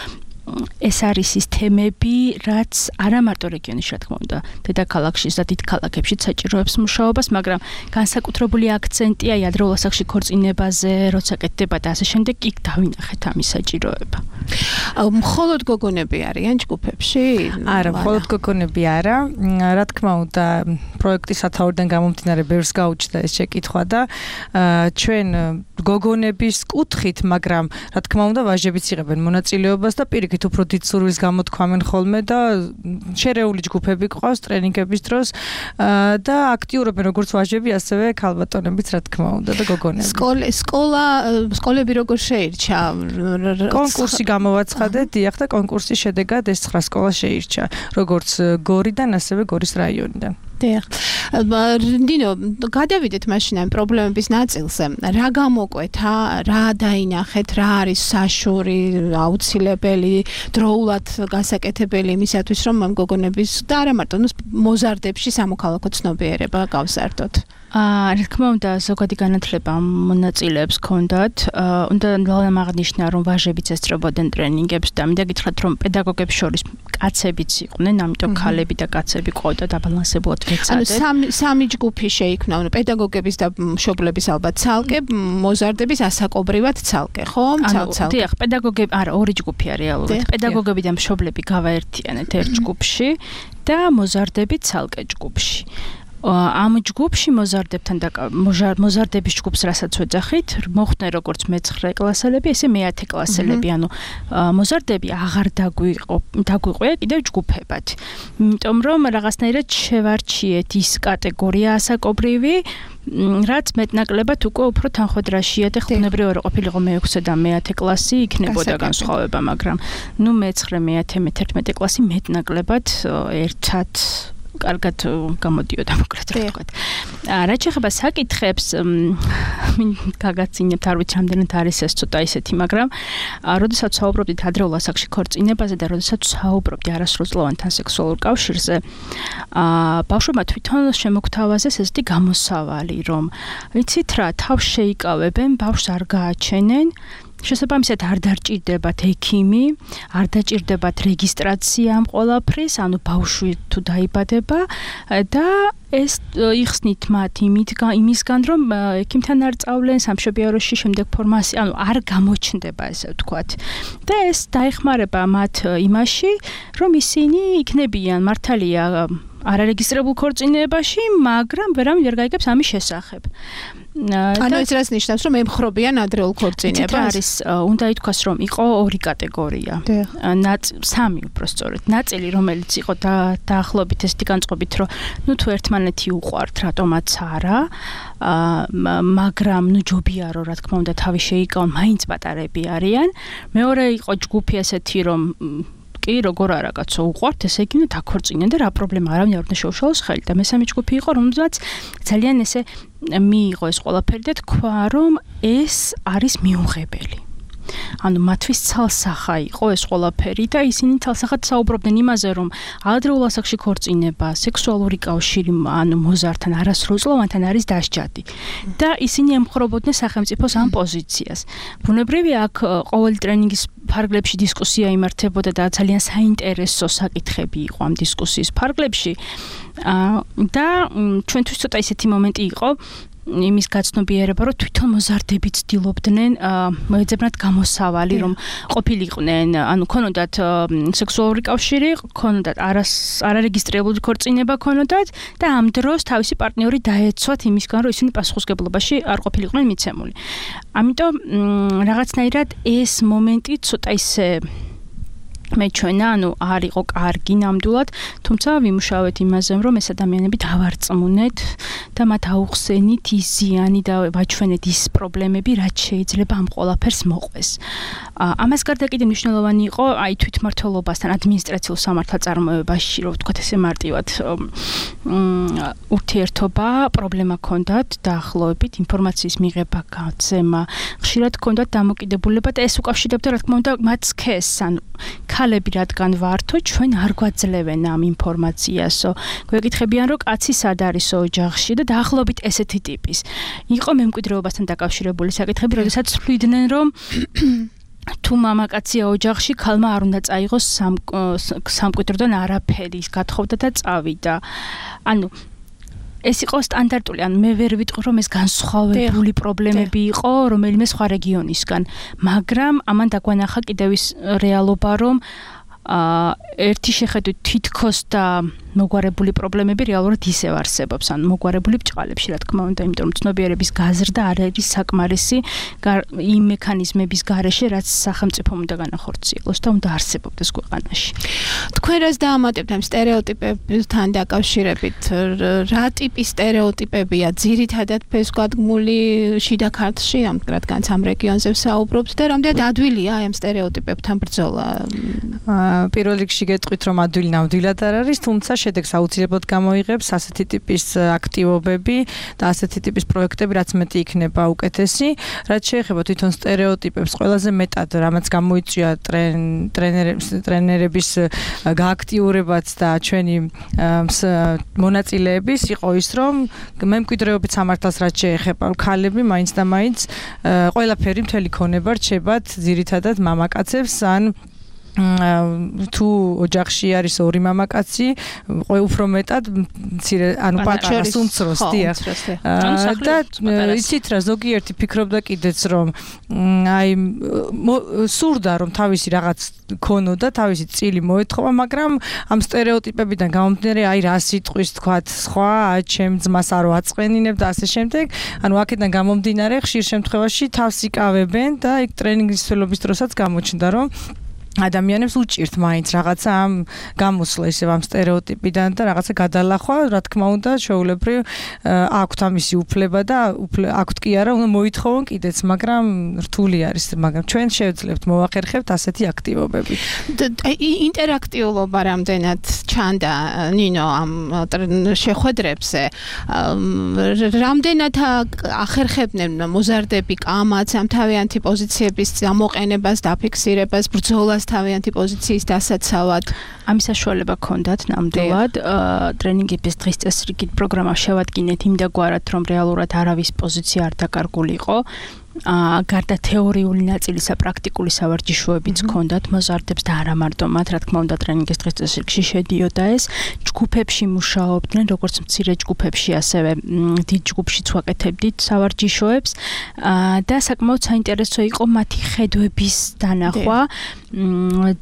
ეს არის ის თემები, რაც არა მარტო რეგიონში, რა თქმა უნდა, დედაქალაქში და დიდ ქალაქებში საჭიროებს მუშაობას, მაგრამ განსაკუთრებული აქცენტია ადრეულ ასაკში ქორწინებაზე, როცა კეთდება და ასე შემდეგ, იქ დავინახეთ ამის საჭიროება. მხოლოდ გოგონები არიან ჯგუფებში? არა, მხოლოდ გოგონები არა. რა თქმა უნდა, პროექტის სათაურიდან გამომდინარე ბევრს გაუჩნდა ეს შეკითხვა და ჩვენ გოგონების კუთხით, მაგრამ რა თქმა უნდა, ვაჟებიც იღებენ მონაწილეობას და პირიქით უფრო დიდ სურვილს გამოთქვამენ ხოლმე და შერეული ჯგუფები ყავს ტრენინგების დროს და აქტიურობენ როგორც ვაჟები, ასევე ქალბატონებიც, რა თქმა უნდა და გოგონები. სკოლა, სკოლა, სკოლები როგორ შეირჩა? კონკურსი გამოვაცხადეთ, დიახ და კონკურსის შედეგად ეს ცხრა სკოლა შეირჩა, როგორც გორიდან, ასევე გორის რაიონიდან. დიახ. დინო, გადავიდეთ მაშინ ამ პრობლემების ნაწილზე. რა გამოკვეთა, რა დაინახეთ, რა არის საშური, აუცილებელი, დროულად გასაკეთებელი იმისათვის, რომ ამ გოგონების და არა მარტო მოზარდებში სამოქალაქო ცნობიერება გავზარდოთ? აა, რა თქმა უნდა, ზოგადი განათლება მონაწილეებს ჰქონდათ. უნდა აღნიშნა, რომ ვაჟებიც ესწრებოდნენ ტრენინგებს და მინდა გითხრათ, რომ პედაგოგებს შორის კაცებიც იყვნენ, ამიტომ ქალები და კაცები ყავდა დაბალანსებულად ვეცადეთ. ანუ სამი სამი ჯგუფი შეიქმნა, ანუ პედაგოგების და მშობლების ალბათ ცალკე, მოზარდების ასაკობრივად ცალკე, ხო? ცალკე. დიახ, პედაგოგები, არა, ორი ჯგუფია რეალურად. პედაგოგები და მშობლები გავაერთიანეთ ერთ ჯგუფში და მოზარდები ცალკე ჯგუფში. ამ ჯგუფში მოზარდებთან და მოზარდების ჯგუფს რასაც ვეძახით, მოხდნენ როგორც მეცხრე კლასელები, ესე მეათე კლასელები, ანუ მოზარდები აღარ დაგვიყვია კიდევ ჯგუფებად. იმიტომ რომ რაღაცნაირად შევარჩიეთ ის კატეგორია ასაკობრივი, რაც მეტნაკლებად უკვე უფრო თანხმედრაშია და ხმოვნებრივი რო ყოფილიყო მეექვსე და მეათე კლასი, იქნებოდა განსხვავება, მაგრამ ნუ მეცხრე, მეათე, მეთერთმეტე კლასი მეტნაკლებად ერთად კარგად გამოდიოდა მოკლედ რა ვთქვათ. რაც შეეხება საკითხებს, მინ გაგაცინებთ, არ ვიცი რამდენად არის ეს ცოტა ისეთი, მაგრამ როდესაც საუბრობდით ადრეულ ასაკში ქორწინებაზე და როდესაც საუბრობდი არასრულწლოვანთან სექსუალურ კავშირზე, ბავშვებმა თვითონ შემოგთავაზეს ესეთი გამოსავალი, რომ იცით რა, თავს შეიკავებენ, ბავშვს არ გააჩენენ, შესაბამისად არ დაჭირდებათ ექიმი, არ დაჭირდებათ რეგისტრაცია ამ ყველაფრის, ანუ ბავშვი თუ დაიბადება და ეს იხსნით მათ იმისგან, რომ ექიმთან არ წავლენ სამშობიაროში შემდეგ ფორმაცია, ანუ არ გამოჩნდება ესე ვთქვათ. და ეს დაეხმარება მათ იმაში, რომ ისინი იქნებიან მართალია არარეგისტრებულ ქორწინებაში, მაგრამ ვერავინ ვერ გაიგებს ამის შესახებ. ანუ ეს რაც ნიშნავს, რომ ემხრობიან ადრეულ ქორწინებას. არის, უნდა ითქვას, რომ იყო ორი კატეგორია. სამი უფრო სწორედ. ნაწილი, რომელიც იყო დაახლოებით ესეთი განწყობით, რომ ნუ თუ ერთმანეთი უყვართ, რატომაც არა, მაგრამ ნუ ჯობია რომ რა თქმა უნდა თავი შეიკავონ, მაინც პატარები არიან. მეორე იყო ჯგუფი ესეთი, რომ კი, როგორ არა კაცო უყვართ, ესე იგი უნდა დაქორწინեն და რა პრობლემა არავინ არ უნდა შეუშალოს ხელი და მესამე ჯგუფი იყო, რომელსაც ძალიან ესე მიიღო ეს ყველაფერი და თქვა, რომ ეს არის მიუღებელი. ანუ მათთვის ცალსახა იყო ეს ყველაფერი და ისინი ცალსახად საუბრობდნენ იმაზე, რომ ადრეულ ასაკში ქორწინება, სექსუალური კავშირი, ანუ მოზარდთან, არასრულწლოვანთან არის დასჯადი. და ისინი ემხრობოდნენ სახელმწიფოს ამ პოზიციას. ბუნებრივია, აქ ყოველი ტრენინგის ფარგლებში დისკუსია იმართებოდა და ძალიან საინტერესო საკითხები იყო ამ დისკუსიის ფარგლებში. და ჩვენთვის ცოტა ისეთი მომენტი იყო, იმის გაცნობიერება, რომ თვითონ მოზარდები ცდილობდნენ მოეძებნათ გამოსავალი, რომ ყოფილიყვნენ, ანუ ქონოდათ სექსუალური კავშირი, ქონოდათ არარეგისტრირებული ქორწინება ქონოდათ და ამ დროს თავისი პარტნიორი დაეცვათ იმისგან, რომ ისინი პასუხისგებლობაში არ ყოფილიყვნენ მიცემული. ამიტომ რაღაცნაირად ეს მომენტი ცოტა ისე მეჩვენა, ანუ არ იყო კარგი ნამდვილად, თუმცა ვიმუშავეთ იმაზე, რომ ეს ადამიანები დავარწმუნეთ და მათ აუხსენით ის ზიანი და ვაჩვენეთ ის პრობლემები, რაც შეიძლება ამ ყველაფერს მოყვეს. ამას გარდა კიდე მნიშვნელოვანი იყო აი თვითმმართველობასთან, ადმინისტრაციულ სამართალწარმოებაში, რომ ვთქვათ ესე მარტივად ურთიერთობა, პრობლემა ჰქონდათ დაახლოებით ინფორმაციის მიღება, გაცემა, ხშირად ჰქონდათ დამოკიდებულება და ეს უკავშირდებოდა რა თქმა უნდა მათ სქესს, ანუ ქალები რადგან ვართო, ჩვენ არ გვაძლევენ ამ ინფორმაციასო. გვეკითხებიან, რომ კაცი სად არის ოჯახში და დაახლოებით ესეთი ტიპის. იყო მემკვიდრეობასთან დაკავშირებული საკითხები, როდესაც თვლიდნენ, რომ თუ მამაკაცია ოჯახში, ქალმა არ უნდა წაიღოს სამკვიდროდან არაფერი, გათხოვდა და წავიდა. ანუ ეს იყო სტანდარტული, ანუ მე ვერ ვიტყვი, რომ ეს განსხვავებული პრობლემები იყო რომელიმე სხვა რეგიონისგან, მაგრამ ამან დაგვანახა კიდევ ის რეალობა, რომ ერთი შეხედვით თითქოს და მოგვარებული პრობლემები რეალურად ისევ არსებობს, ანუ მოგვარებული ბჭყალებში, რა თქმა უნდა, იმიტომ რომ ცნობიერების გაზრდა არ არის საკმარისი იმ მექანიზმების გარეშე, რაც სახელმწიფომ უნდა განახორციელოს და უნდა არსებობდეს ქვეყანაში. თქვენ რას დაამატებთ ამ სტერეოტიპებთან დაკავშირებით? რა ტიპის სტერეოტიპებია ძირითადად ფესვგადგმული შიდა ქართლში, რადგანაც ამ რეგიონზე ვსაუბრობთ და რამდენად ადვილია ამ სტერეოტიპებთან ბრძოლა? პირველ რიგში გეტყვით, რომ ადვილი ნამდვილად არ არის, თუმცა შედეგს აუცილებლად გამოიღებს ასეთი ტიპის აქტივობები და ასეთი ტიპის პროექტები, რაც მეტი იქნება უკეთესი. რაც შეეხება თვითონ სტერეოტიპებს, ყველაზე მეტად რამაც გამოიწვია ტრენერების გააქტიურებაც და ჩვენი მონაწილეების იყო ის, რომ მემკვიდრეობით სამართალს რაც შეეხება, ქალები მაინც და მაინც ყველაფერი მთელი ქონება რჩებათ ძირითადად მამაკაცებს ან თუ ოჯახში არის ორი მამაკაცი, უფრო მეტად მცირე, ანუ პატარას უმცროს, დიახ. და იცით რა, ზოგიერთი ფიქრობდა კიდეც, რომ აი სურდა, რომ თავისი რაღაც ქონოდა, თავისი წილი მოეთხოვა, მაგრამ ამ სტერეოტიპებიდან გამომდინარე, აი რა სიტყვის თქვათ, სხვა, ჩემ ძმას არ ვაწყენინებ და ასე შემდეგ. ანუ აქედან გამომდინარე, ხშირ შემთხვევაში თავს იკავებენ და იქ ტრენინგის მსვლელობის დროსაც გამოჩნდა, რომ ადამიანებს უჭირთ მაინც რაღაცა ამ გამოსვლა ისევ ამ სტერეოტიპიდან და რაღაცა გადალახვა, რა თქმა უნდა, შეულებრივ აქვთ ამისი უფლება და აქვთ კი არა, უნდა მოითხოვონ კიდეც, მაგრამ რთული არის, მაგრამ ჩვენ შევძლებთ მოვახერხებთ ასეთი აქტივობები. ინტერაქტიულობა რამდენად ჩანდა ნინო ამ შეხვედრებზე, რამდენად ახერხებდნენ მოზარდები კამაც ამ თავიანთი პოზიციების გამოყენებას, დაფიქსირებას, ბრძოლას თავიანთი პოზიციის დასაცავად. ამის საშუალება ჰქონდათ ნამდვილად ტრენინგების დღის წესრიგით პროგრამა შევადგინეთ იმდაგვარად, რომ რეალურად არავის პოზიცია არ დაკარგულიყო. აა გარდა თეორიული ნაწილისა, პრაქტიკული სავარჯიშოებიც ჰქონდათ მოზარდებს და არა მარტო მათ, რა თქმა უნდა, ტრენინგის დღის წესრიგში შედიოდა ეს. ჯგუფებში მუშაობდნენ, როგორც მცირე ჯგუფებში, ასევე დიდ ჯგუფშიც ვაკეთებდით სავარჯიშოებს და საკმაოდ საინტერესო იყო მათი ხედვების დანახვა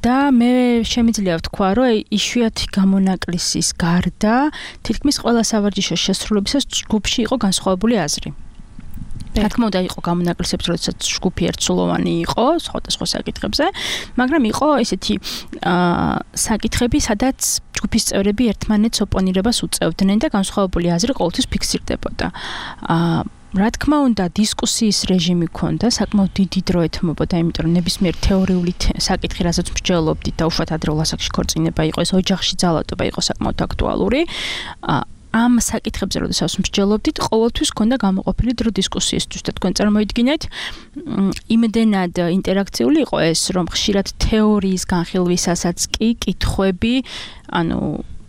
და მე შემიძლია ვთქვა, რომ იშვიათი გამონაკლისის გარდა თითქმის ყველა სავარჯიშოს შესრულებისას ჯგუფში იყო განსხვავებული აზრი. რა თქმა უნდა იყო გამონაკლისებს, როდესაც ჯგუფი ერთსულოვანი იყო სხვადასხვა საკითხებზე, მაგრამ იყო ესეთი საკითხები, სადაც ჯგუფის წევრები ერთმანეთს ოპონირებას უწევდნენ და განსხვავებული აზრი ყოველთვის ფიქსირდებოდა. რა თქმა უნდა, დისკუსიის რეჟიმი ჰქონდა, საკმაოდ დიდი დრო ეთმობოდა, იმიტომ რომ ნებისმიერ თეორიული საკითხი, რასაც მსჯელობდით და უშუალოდ ადრეულ ასაკში ქორწინება იყო, ეს ოჯახში ძალადობა იყო საკმაოდ აქტუალური. ამ საკითხებზე, როდესაც მსჯელობდით, ყოველთვის ჰქონდა გამოყოფილი დრო დისკუსიისთვის და თქვენ წარმოიდგინეთ, იმდენად ინტერაქციული იყო ეს, რომ ხშირად თეორიის განხილვისასაც კი კითხვები, ანუ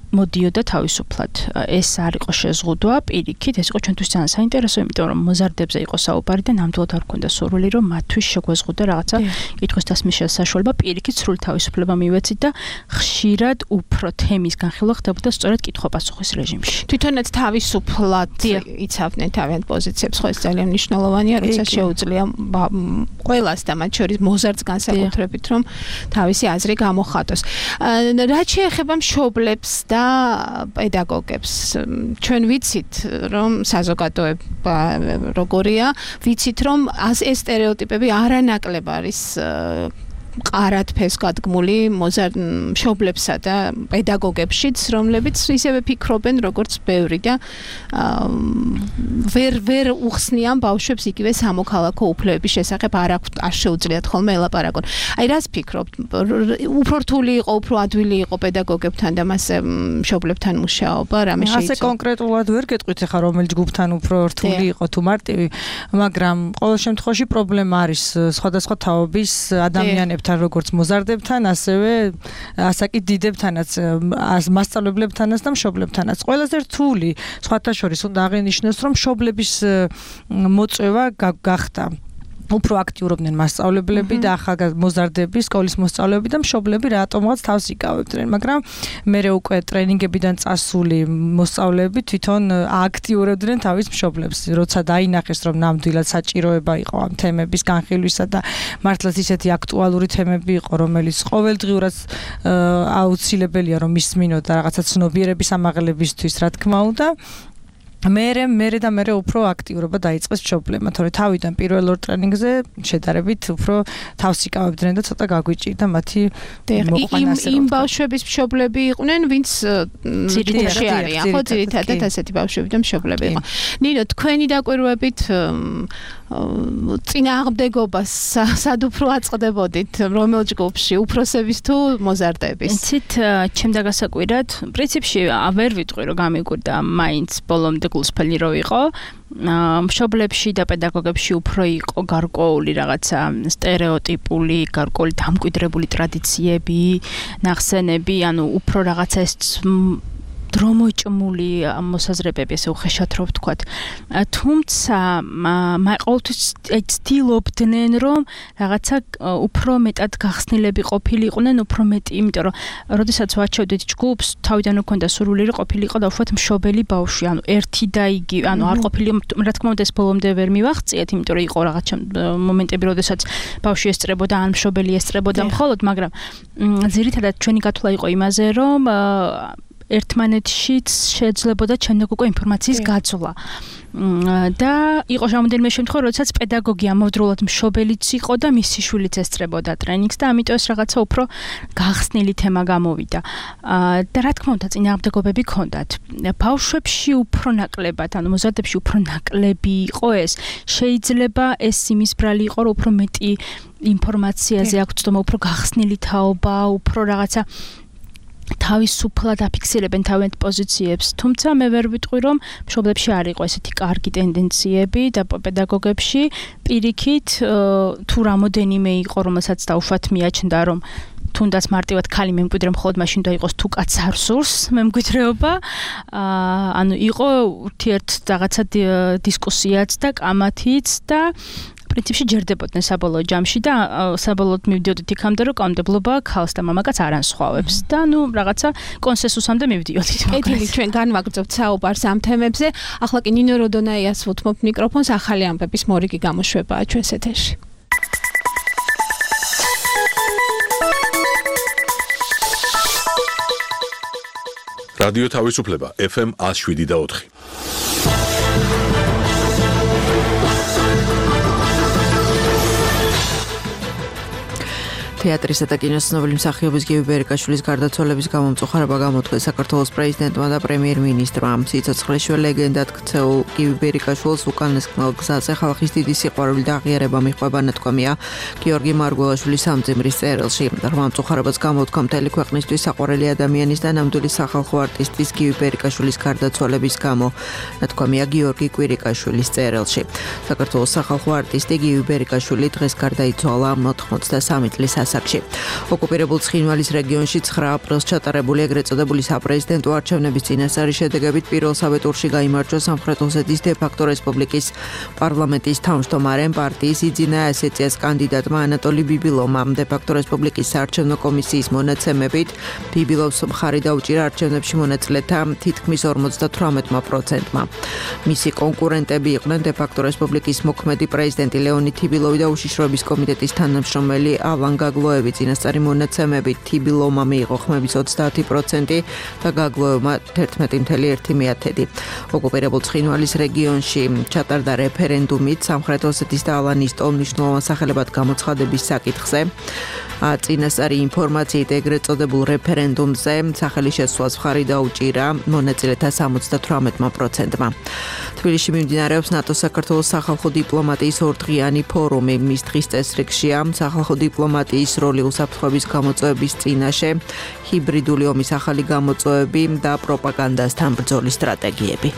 მოდიოდა თავისუფლად. ეს არ იყო შეზღუდვა, პირიქით, ეს იყო ჩვენთვის ძალიან საინტერესო, იმიტომ რომ მოზარდებზე იყო საუბარი და ნამდვილად არ ჰქონდა სურვილი, რომ მათთვის შეგვეზღუდა რაღაცა კითხვის დასმის საშუალება, პირიქით, სრული თავისუფლება მივეცით და ხშირად უფრო თემის განხილვა ხდებოდა სწორედ კითხვა-პასუხის რეჟიმში. თვითონაც თავისუფლად იცავდნენ თავიანთ პოზიციებს, ხო ეს ძალიან მნიშვნელოვანია, როცა შეუძლია ყველას და მათ შორის მოზარდს განსაკუთრებით, რომ თავისი აზრი გამოხატოს. რაც შეეხება მშობლებს და პედაგოგებს, ჩვენ ვიცით, რომ საზოგადოება როგორია, ვიცით, რომ ეს სტერეოტიპები არანაკლებ არის მყარად ფესკადგმული მშობლებსა და პედაგოგებშიც, რომლებიც ისევე ფიქრობენ, როგორც ბევრი და ვერ ვერ უხსნიან ბავშვებს იგივე სამოქალაქო უფლებების შესახებ, არ აქვთ, არ შეუძლიათ ხოლმე ელაპარაკონ. აი რას ფიქრობთ? უფრო რთული იყო, უფრო ადვილი იყო პედაგოგებთან და მასე მშობლებთან მუშაობა, რამე შეიძლება? ასე კონკრეტულად ვერ გეტყვით ახლა რომელ ჯგუფთან უფრო რთული იყო თუ მარტივი, მაგრამ ყოველ შემთხვევაში პრობლემა არის სხვადასხვა თაობის ადამიანებთან, როგორც მოზარდებთან, ასევე ასაკით დიდებთანაც, მასწავლებლებთანაც და მშობლებთანაც. ყველაზე რთული, სხვათა შორის უნდა აღინიშნოს, რომ მშობლების მოწვევა გახდა. უფრო აქტიურობდნენ მასწავლებლები და ახალგაზრდა მოზარდები, სკოლის მოსწავლეები და მშობლები რატომღაც თავს იკავებდნენ, მაგრამ მერე უკვე ტრენინგებიდან წასული მოსწავლეები თვითონ აქტიურებდნენ თავის მშობლებს, როცა დაინახეს, რომ ნამდვილად საჭიროება იყო ამ თემების განხილვისა და მართლაც ისეთი აქტუალური თემები იყო, რომელიც ყოველდღიურად აუცილებელია რომ ისმინოთ და რაღაცა ცნობიერების ამაღლებისთვის, რა თქმა უნდა. მერე მერე და მერე უფრო აქტიურობა დაიწყეს მშობლებმა, თორე თავიდან პირველ ორ ტრენინგზე შედარებით უფრო თავს იკავებდნენ და ცოტა გაგვიჭირდა მათი მოყვანა ასე. იმ ბავშვების მშობლები იყვნენ, ვინც ძირითადად არიან, ხო, ძირითადად ასეთი ბავშვები და მშობლები იყო. ნინო, თქვენი დაკვირვებით წინააღმდეგობას სად უფრო აწყდებოდით, რომელ ჯგუფში, უფროსების თუ მოზარდების? იცით, ჩემდა გასაკვირად, პრინციპში ვერ ვიტყვი, რომ გამიკვირდა მაინც ბოლომდე გულსფელი რო იყო. მშობლებში და პედაგოგებში უფრო იყო გარკვეული რაღაცა სტერეოტიპული, გარკვეული დამკვიდრებული ტრადიციები, ნახსენები, ანუ უფრო რაღაცა ეს დრომოჭმული მოსაზრებები, ესე უხეშად რო ვთქვათ. თუმცა ყოველთვის ცდილობდნენ, რომ რაღაცა უფრო მეტად გახსნილები ყოფილიყვნენ, უფრო მეტი, იმიტომ რომ როდესაც ვაჩვევდით ჯგუფს, თავიდან უქონდა სურვილი რომ ყოფილიყო და უშუალოდ მშობელი ბავშვი, ანუ ერთი და იგი, ანუ არ ყოფილი, რა თქმა უნდა ეს ბოლომდე ვერ მივახციეთ, იმიტომ რომ იყო რაღაც მომენტები, როდესაც ბავშვი ესწრებოდა, ან მშობელი ესწრებოდა მხოლოდ, მაგრამ ძირითადად ჩვენი გათვლა იყო იმაზე, რომ ერთმანეთშიც შეძლებოდა ჩემნაკ უკვე ინფორმაციის გაცვლა. და იყო რამდენიმე შემთხვევა, როდესაც პედაგოგი ამავდროულად მშობელიც იყო და მისი შვილიც ესწრებოდა ტრენინგს და ამიტომ ეს რაღაცა უფრო გახსნილი თემა გამოვიდა. და რა თქმა უნდა, წინააღმდეგობები ჰქონდათ. ბავშვებში უფრო ნაკლებად, ანუ მოზარდებში უფრო ნაკლები იყო ეს. შეიძლება ეს იმის ბრალი იყო, რომ უფრო მეტი ინფორმაციაზე აქვს ცდომა, უფრო გახსნილი თაობა, უფრო რაღაცა თავისუფლად აფიქსირებენ თავიანთ პოზიციებს, თუმცა მე ვერ ვიტყვი, რომ მშობლებში არ იყო ესეთი კარგი ტენდენციები და პედაგოგებში პირიქით თუ რამოდენიმე იყო, რომელსაც დაუშვათ მიაჩნდა, რომ თუნდაც მარტივად ქალი მემკვიდრე მხოლოდ მაშინ და იყოს თუ კაც არ სურს მემკვიდრეობა. ანუ იყო ურთიერთ რაღაცა დისკუსიაც და კამათიც და პრინციპში ჯერდებოდნენ საბოლოო ჯამში და საბოლოოდ მივდიოდით იქამდე, რომ კანონმდებლობა ქალს და მამაკაც არ ანსხვავებს და ნუ რაღაცა კონსენსუსამდე მივდიოდით. ედილი, ჩვენ განვაგრძობთ საუბარს ამ თემებზე. ახლა კი ნინო როდონაიას ვუთმობთ მიკროფონს, ახალი ამბების მორიგი გამოშვებაა ჩვენს ეთერში. რადიო თავისუფლება ეფ ემ one oh seven და four. თეატრისა და კინოს ცნობილი მსახიობის გივი ბერიკაშვილის გარდაცვალების გამო მწუხარება გამოთქვეს საქართველოს პრეზიდენტმა და პრემიერ-მინისტრმა. სიცოცხლეშივე ლეგენდად ქცეულ გივი ბერიკაშვილს უკანასკნელ გზაზე ხალხის დიდი სიყვარული და აღიარება მიჰყვება, ნათქვამია გიორგი მარგველაშვილის სამძიმრის წერილში. ღრმა მწუხარებას გამოთქვა მთელი ქვეყნისთვის საყვარელი ადამიანის და ნამდვილი სახალხო არტისტის გივი ბერიკაშვილის გარდაცვალების გამო, ნათქვამია გიორგი კვირიკაშვილის წერილში. საქართველოს სახალხო არტისტი გივი ბერიკაშვილი დღეს გარდაიცვალა ოთხმოცდასამი წლის ასაკში. ოკუპირებულ ცხინვალის რეგიონში ცხრა აპრილს ჩატარებული ეგრეთ წოდებული საპრეზიდენტო არჩევნების წინასწარი შედეგებით პირველსავე ტურში გაიმარჯვა სამხრეთ ოსეთის დე-ფაქტო რესპუბლიკის პარლამენტის თავმჯდომარემ პარტიის იძინა ასეციას კანდიდატმა ანატოლი ბიბილოვმა. დე-ფაქტო რესპუბლიკის საარჩევნო კომისიის მონაცემებით ბიბილოვს მხარი დაუჭირა არჩევნებში მონაწილეთა თითქმის ორმოცდათვრამეტმა პროცენტმა. მისი კონკურენტები იყვნენ დე-ფაქტო რესპუბლიკის მოქმედი პრეზიდენტი ლეონიდ თიბილოვი და უშიშროების კომიტეტის თანამშრომელი ალან გაგლოევი. წინასწარი მონაცემებით თიბილოვმა მიიღო ხმების ოცდაათი პროცენტი და გაგლოევმა თერთმეტი წამსული ერთი მეათედი. ოკუპირებულ ცხინვალის რეგიონში ჩატარდა რეფერენდუმით სამხრეთ ოსეთის და ალანის ტოლმნიშნულოვან სახელებად გამოცხადების საკითხზე. წინასწარი ინფორმაციით ეგრეთ წოდებულ რეფერენდუმზე სახელი შესვლას მხარი დაუჭირა მონაწილეთა სამოცდათვრამეტმა პროცენტმა. თბილისში მიმდინარეობს ნატოს საქართველოს სახალხო დიპლომატიის ორდღიანი ფორუმი. მის დღის წესრიგშია სახალხო დიპლომატიის როლი უსაფრთხოების გამოწვევების წინაშე, ჰიბრიდული ომის ახალი გამოწვევები და პროპაგანდასთან ბრძოლის სტრატეგიები.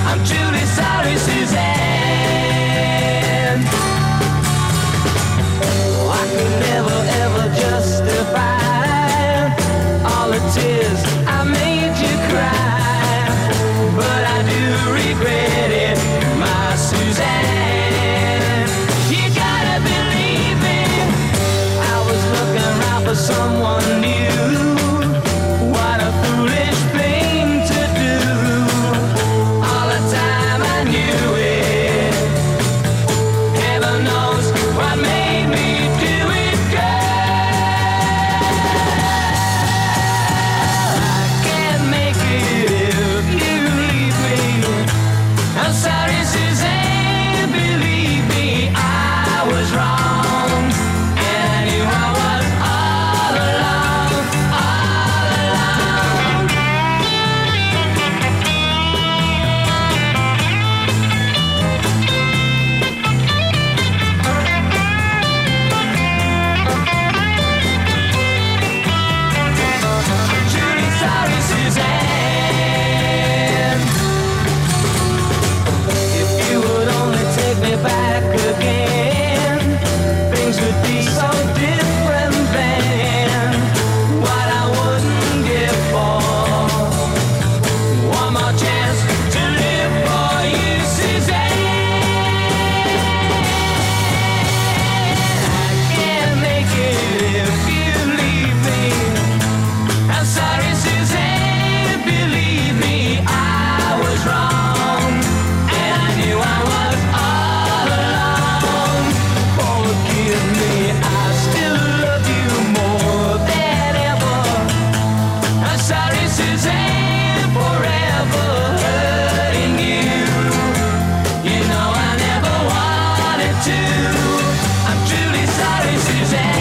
I'm truly sorry. was wrong, and I knew I was all alone, all alone. Truly sorry, Suzanne. If you would only take me back again, things would be so different then. What I wouldn't give for one more chance to live for you, Suzanne. I can't make it if you leave me. I'm sorry, Suzanne, believe me, I was wrong, and I knew I was all alone. Forgive me, I still love you more than ever. I'm sorry, Suzanne, forever hurting you. You know I never wanted to. I'm truly sorry, Suzanne.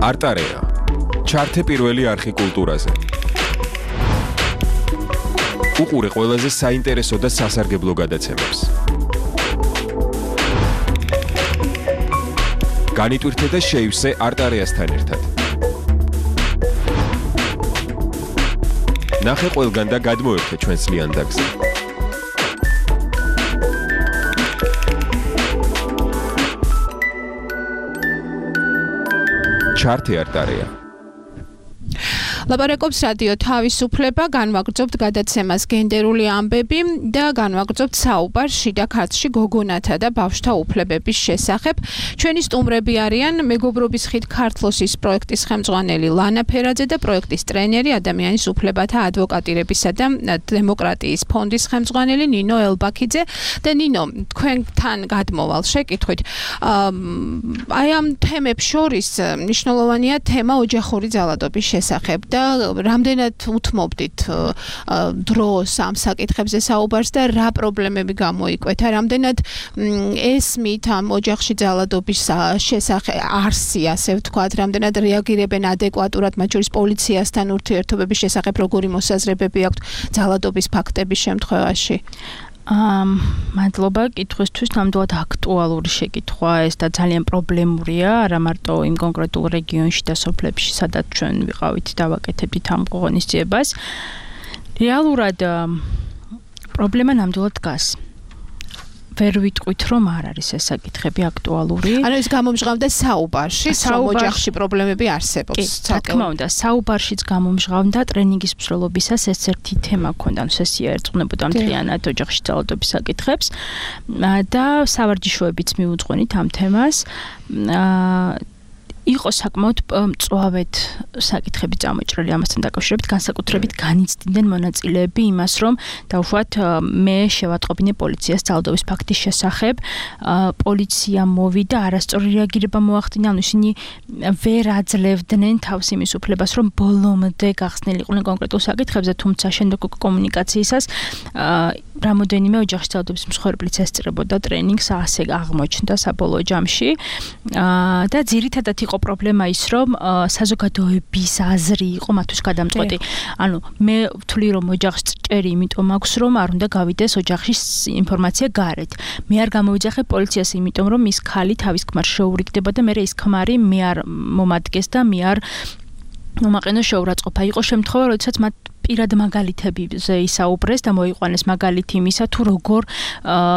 არტარეა. ჩართე პირველი არხი კულტურაზე. უყურე ყველაზე საინტერესო და სასარგებლო გადაცემებს. განიტვირთე და შეივსე არტარეასთან ერთად. ნახე ყველგან და გადმოერთე ჩვენს ლიანდაგზე. ჩართე არტარეა. ლაპარაკობს რადიო თავისუფლება, განვაგრძობთ გადაცემას გენდერული ამბები და განვაგრძობთ საუბარს შიდა ქართლში გოგონათა და ბავშვთა უფლებების შესახებ. ჩვენი სტუმრები არიან მეგობრობის ხიდ ქართლოსის პროექტის ხელმძღვანელი ლანა ფერაძე და პროექტის ტრენერი ადამიანის უფლებათა ადვოკატირებისა და დემოკრატიის ფონდის ხელმძღვანელი ნინო ელბაქიძე და ნინო, თქვენთან გადმოვალ შეკითხვით. აი ამ თემებს შორის მნიშვნელოვანია თემა ოჯახური ძალადობის შესახებ. და რამდენად უთმობდით დროს ამ საკითხებზე საუბარს და რა პრობლემები გამოიკვეთა, რამდენად ესმით ამ ოჯახში ძალადობის შესახებ არსი, ასე ვთქვათ, რამდენად რეაგირებენ ადეკვატურად, მათ შორის პოლიციასთან ურთიერთობების შესახებ როგორი მოსაზრებები აქვთ ძალადობის ფაქტების შემთხვევაში? ამ მადლობა კითხვისთვის, ნამდვილად აქტუალური შეკითხვა ეს და ძალიან პრობლემურია, არა მარტო იმ კონკრეტულ რეგიონში და სოფლებში, სადაც ჩვენ ვიყავით და ვაკეთებდით ამ ღონისძიებას. რეალურად პრობლემა ნამდვილად დგას. ვერ ვიტყვით, რომ არ არის ეს საკითხები აქტუალური. ანუ ეს გამომჟღავდა საუბარში, რომ ოჯახში პრობლემები არსებობს. რა თქმა უნდა, საუბარშიც გამომჟღავდა ტრენინგის მსვლელობისას ეს ერთი თემა ქონდა, ანუ სესია ერწყმებოდა მთლიანად ოჯახში ძალადობის საკითხებს და სავარჯიშოებიც მიუძღვენით ამ თემას. იყო საკმაოდ მწვავედ საკითხები წამოჭრილი ამასთან დაკავშირებით, განსაკუთრებით განიცდიდნენ მონაწილეები იმას, რომ დაუშვათ მე შევატყობინე პოლიციას ძალადობის ფაქტის შესახებ, პოლიცია მოვიდა, არასწორი რეაგირება მოახდინა, ანუ ისინი ვერ აძლევდნენ თავს იმის უფლებას, რომ ბოლომდე გახსნილიყვნენ კონკრეტულ საკითხებზე, თუმცა შენდო კომუნიკაციისას რამოდენიმე ოჯახში ძალადობის მსხვერპლიც ესწრებოდა ტრენინგს, ასე აღმოჩნდა საბოლოო ჯამში და ძირითადად იყო პრობლემა ის, რომ საზოგადოების აზრი იყო მათთვის გადამწყვეტი. ანუ მე ვთვლი, რომ ოჯახს ჭერი იმიტომ აქვს, რომ არ უნდა გავიდეს ოჯახში ინფორმაცია გარეთ. მე არ გამოვიძახე პოლიციას იმიტომ, რომ ის ქალი თავის ქმარს შეურიგდება და მე ეს ქმარი მე არ მომადგეს და მე არ მომაყენო შეურაცხყოფა. იყო შემთხვევა, როდესაც მათ პირად მაგალითებზე ისაუბრეს და მოიყვანეს მაგალითი იმისა, თუ როგორ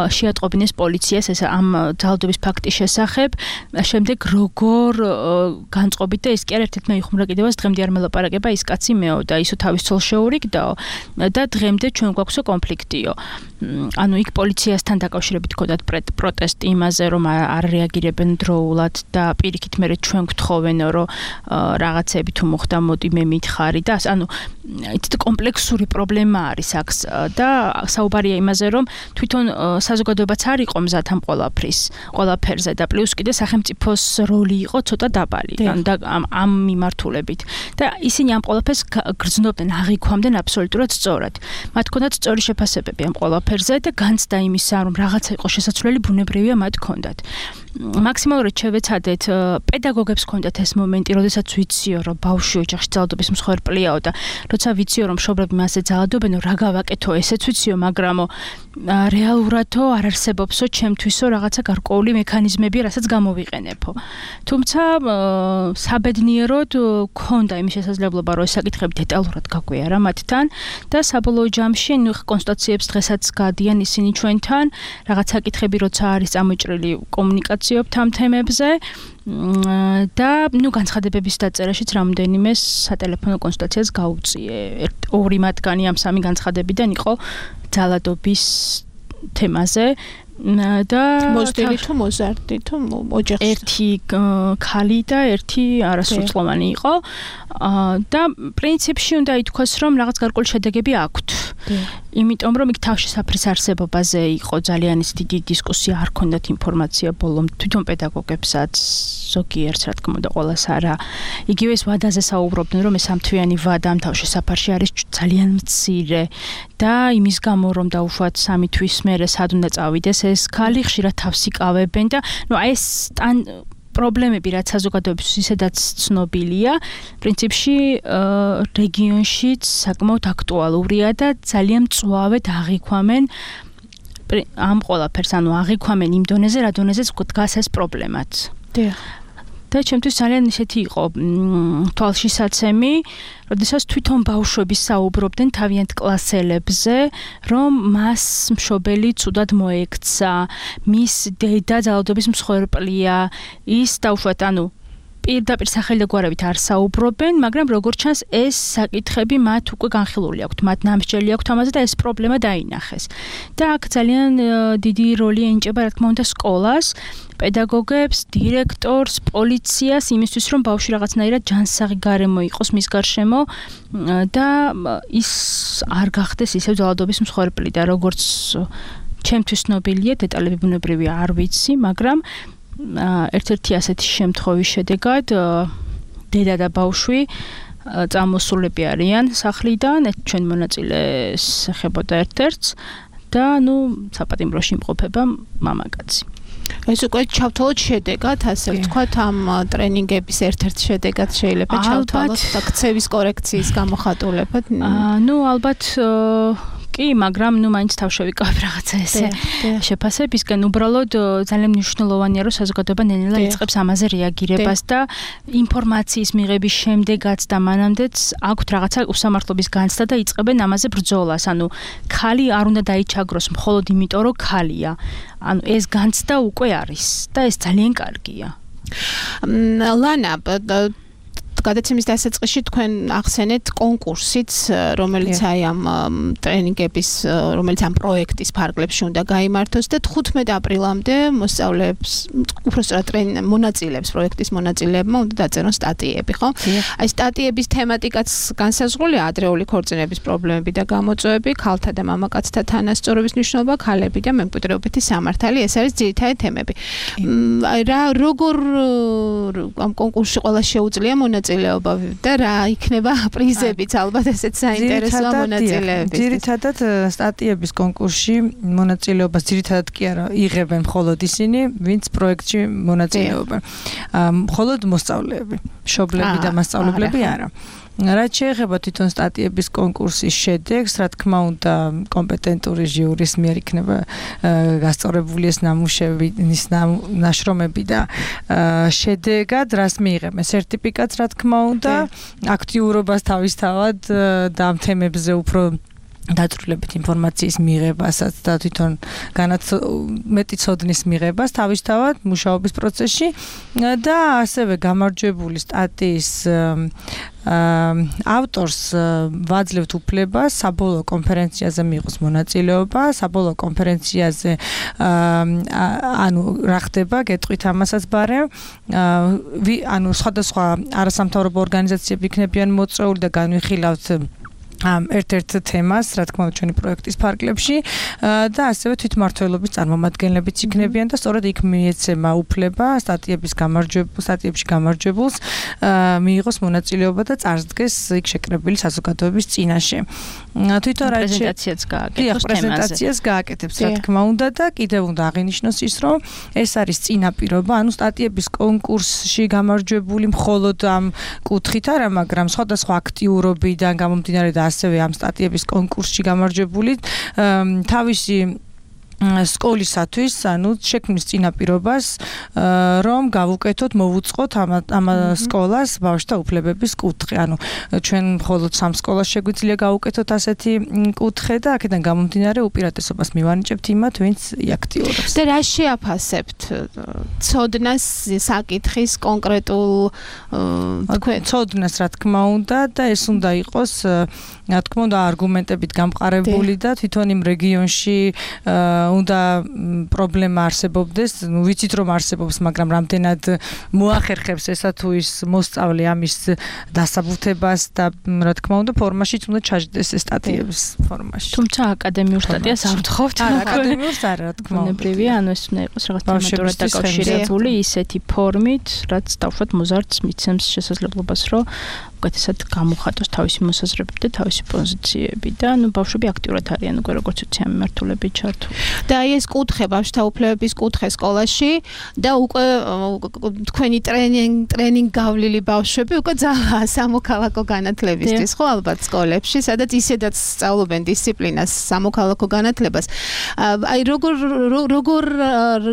შეატყობინეს პოლიციას ეს ამ ძალადობის ფაქტის შესახებ, შემდეგ როგორ განწყობით და ეს კი არ ერთ-ერთმა იხუმრა კიდევაც დღემდე არ მელაპარაკება ის კაცი მეო და ისო თავის ცოლს შეურიგდაო და დღემდე ჩვენ გვაქვსო კონფლიქტიო. ანუ იქ პოლიციასთან დაკავშირებით ქონდათ პროტესტი იმაზე, რომ არ რეაგირებენ დროულად და პირიქით მერე ჩვენ გვთხოვენო, რომ რაღაცები თუ მოხდა, მოდი მე მითხარი და ანუ იცით კომპლექსური პრობლემა არის აქ და საუბარია იმაზე, რომ თვითონ საზოგადოებაც არ იყო მზად ამ ყველაფრის, ყველაფერზე და პლუს კიდე სახელმწიფოს როლი იყო ცოტა დაბალი და ამ მიმართულებით. და ისინი ამ ყველაფერს გრძნობდნენ, აღიქვამდნენ აბსოლუტურად სწორად. მათ ჰქონდათ სწორი შეფასებები ამ ყველაფერზე და განცდა იმისა, რომ რაღაცა იყო შესაძლებელი, ბუნებრივია მათ ჰქონდათ. მაქსიმალურად შევეცადეთ, პედაგოგებს ჰქონდათ ეს მომენტი, როდესაც ვიციო, რომ ბავშვი ოჯახში ძალადობის მსხვერპლიაო და როცა ვიციო, რომ მშობლები მასზე ძალადობენო, რა გავაკეთო, ესეც ვიციო, მაგრამო რეალურადო არ არსებობსო ჩემთვისო რაღაცა გარკვეული მექანიზმები, რასაც გამოვიყენებო. თუმცა საბედნიეროდ ქონდა იმის შესაძლებლობა, რომ ეს საკითხები დეტალურად გაგვიარა მათთან და საბოლოო ჯამში ნუ კონსტატაციებს დღესაც გადიან ისინი ჩვენთან, რაღაც საკითხები როცა არის წამოჭრილი კომუნიკაციობთ ამ თემებზე და ნუ განცხადებების დაწერაშიც რამოდენიმე სატელეფონო კონსულტაციას გაუწიე. ორი მათგანი ამ სამი განცხადებიდან იყო ძალადობის თემაზე და მოზრდილი თუ მოზარდი თუ ოჯახში ერთი ქალი და ერთი არასრულწლოვანი იყო და პრინციპში უნდა ითქვას, რომ რაღაც გარკვეული შედეგები აქვთ. იმიტომ რომ იქ თავშესაფრის არსებობაზე იყო ძალიან დიდი დისკუსია, არ ქონდათ ინფორმაცია ბოლომ თვითონ პედაგოგებსაც ზოგიერთს რა თქმა უნდა ყოველას არა. იგივე ეს ვადაზე საუბრობდნენ, რომ ეს ამთვიანი ვადა ამ თავშესაფარში არის ძალიან მცირე და იმის გამო რომ დაუშვათ სამი თვის მერე სად უნდა წავიდეს ეს ქალი ხშირად თავს იკავებენ და ნუ აი ეს პრობლემები რაც საზოგადოების ისედაც ცნობილია, პრინციპში რეგიონშიც საკმაოდ აქტუალურია და ძალიან მწვავედ აღიქვამენ ამ ყველაფერს, ანუ აღიქვამენ იმ დონეზე, რა დონეზეც დგას ეს პრობლემაც. დიახ. და ჩემთვის ძალიან ისეთი იყო თვალშისაცემი, როდესაც თვითონ ბავშვები საუბრობდნენ თავიანთ კლასელებზე, რომ მას მშობელი ცუდად მოექცა, მის დედა ძალადობის მსხვერპლია, ის დაუშვათ, ანუ პირდაპირ სახელი და გვარებით არ საუბრობენ, მაგრამ როგორც ჩანს ეს საკითხები მათ უკვე განხილული აქვთ, მათ ნამსჯელი აქვთ ამაზე და ეს პრობლემა დაინახეს. და აქ ძალიან დიდი როლი ენიჭება, რა თქმა უნდა, სკოლას, პედაგოგებს, დირექტორს, პოლიციას იმისთვის, რომ ბავშვი რაღაცნაირად ჯანსაღი გარემო იყოს მის გარშემო და ის არ გახდეს ისევ ძალადობის მსხვერპლი და როგორც ჩემთვის ცნობილია, დეტალები ბუნებრივია არ ვიცი, მაგრამ ერთ-ერთი ასეთი შემთხვევის შედეგად დედა და ბავშვი წამოსულები არიან სახლიდან, ჩვენ მონაწილეს ეხებოდა ერთ-ერთს და ნუ საპატიმროში იმყოფება მამაკაცი. ეს უკვე ჩავთვალოთ შედეგად, ასე ვთქვათ, ამ ტრენინგების ერთ-ერთ შედეგად შეიძლება ჩავთვალოთ და ქცევის კორექციის გამოხატულებად. ნუ ალბათ კი, მაგრამ ნუ მაინც თავშევიკავებ რაღაცა ესე შეფასებისგან. უბრალოდ ძალიან მნიშვნელოვანია, რომ საზოგადოება ნელ-ნელა იწყებს ამაზე რეაგირებას და ინფორმაციის მიღების შემდეგაც და მანამდეც აქვთ რაღაცა უსამართლობის განცდა და იწყებენ ამაზე ბრძოლას. ანუ ქალი არ უნდა დაიჩაგროს მხოლოდ იმიტომ, რომ ქალია. ანუ ეს განცდა უკვე არის და ეს ძალიან კარგია. ლანა, გადაცემის დასაწყისში თქვენ ახსენეთ კონკურსიც, რომელიც აი ამ ტრენინგების, რომელიც ამ პროექტის ფარგლებში უნდა გაიმართოს და თხუთმეტ აპრილამდე მოსწავლეებს, უბრალოდ მონაწილეებს, პროექტის მონაწილეებმა უნდა დაწერონ სტატიები, ხო? აი სტატიების თემატიკაც განსაზღვრულია, ადრეული ქორწინების პრობლემები და გამოწვევები, ქალთა და მამაკაცთა თანასწორობის მნიშვნელობა, ქალები და მემკვიდრეობითი სამართალი, ეს არის ძირითადი თემები. აი რა როგორ ამ კონკურსში ყველა შეუძლია მონაწილეობა და რა იქნება პრიზებიც, ალბათ ესეც საინტერესოა მონაწილეებისთვის. ძირითადად სტატიების კონკურსში მონაწილეობას ძირითადად კი არა იღებენ მხოლოდ ისინი, ვინც პროექტში მონაწილეობენ. მხოლოდ მოსწავლეები, მშობლები და მასწავლებლები არა. რაც შეეხება თვითონ სტატიების კონკურსის შედეგს, რა თქმა უნდა, კომპეტენტური ჟიურის მიერ იქნება გასწორებული ეს ნამუშევრი, ის ნაშრომები და შედეგად რას მიიღებენ? სერტიფიკატს, რა თქმა უნდა, აქტიურობას თავისთავად და ამ თემებზე უფრო დაწვრილებით ინფორმაციის მიღებასაც და თვითონ მეტი ცოდნის მიღებას თავისთავად მუშაობის პროცესში და ასევე გამარჯვებული სტატიის ავტორს ვაძლევთ უფლებას საბოლოო კონფერენციაზე მიიღოს მონაწილეობა, საბოლოო კონფერენციაზე ანუ რა ხდება, გეტყვით ამასაც ბარემ, ანუ სხვადასხვა არასამთავრობო ორგანიზაციები იქნებიან მოწვეული და განვიხილავთ ამ ერთ-ერთ თემას, რა თქმა უნდა, ჩვენი პროექტის ფარგლებში და ასევე თვითმმართველობის წარმომადგენლებიც იქნებიან და სწორედ იქ მიეცემა უფლება სტატიების გამარჯვებულს, სტატიებში გამარჯვებულს მიიღოს მონაწილეობა და წარსდგეს იქ შეკრებილი საზოგადოების წინაშე. თვითონ რა პრეზენტაციაც გააკეთოს თემაზე. პრეზენტაციას გააკეთებს, რა თქმა უნდა და კიდევ უნდა აღინიშნოს ის, რომ ეს არის წინაპირობა, ანუ სტატიების კონკურსში გამარჯვებული მხოლოდ ამ კუთხით არა, მაგრამ სხვადასხვა აქტიურობიდან გამომდინარე და ასევე ამ სტატიების კონკურსში გამარჯვებული თავისი სკოლისათვის, ანუ შექმნის წინაპირობას, რომ გავუკეთოთ, მოვუწყოთ ამ ამ სკოლას ბავშვთა უფლებების კუთხე. ანუ ჩვენ მხოლოდ სამ სკოლას შეგვიძლია გავუკეთოთ ასეთი კუთხე და აქედან გამომდინარე უპირატესობას მივანიჭებთ იმათ, ვინც აქტიურობს. და რა შეაფასებთ? ცოდნას, საკითხის კონკრეტულ თქვენ ცოდნას, რა თქმა უნდა, და ეს უნდა იყოს, რა თქმა უნდა, არგუმენტებით გამყარებული და თვითონ იმ რეგიონში უნდა პრობლემა არსებობდეს, ნუ ვიცით რომ არსებობს, მაგრამ რამდენად მოახერხებს ესა თუ ის მოსწავლე ამის დასაბუთებას და რა თქმა უნდა ფორმაშიც უნდა ჩაჯდეს ეს სტატიების ფორმაში. თუმცა აკადემიურ სტატიას არ ვთხოვთ. არა, აკადემიურს არა, რა თქმა უნდა. ბუნებრივია, ანუ ეს უნდა იყოს რაღაც თემატურად დაკავშირებული ისეთი ფორმით, რაც დავშვათ მოზარდს მიცემს შესაძლებლობას, რომ უკეთესად გამოხატოს თავისი მოსაზრებები და თავისი პოზიციები და ანუ ბავშვები აქტიურად არიან უკვე როგორც ვიცი ამ მიმართულებით ჩართული. და აი ეს კუთხე ბავშვთა უფლებების კუთხე სკოლაში და უკვე თქვენი ტრენინგ ტრენინგ გავლილი ბავშვები უკვე ძალა სამოქალაქო განათლებისთვის ხო ალბათ სკოლებში, სადაც ისედაც სწავლობენ დისციპლინას, სამოქალაქო განათლებას. აი როგორ როგორ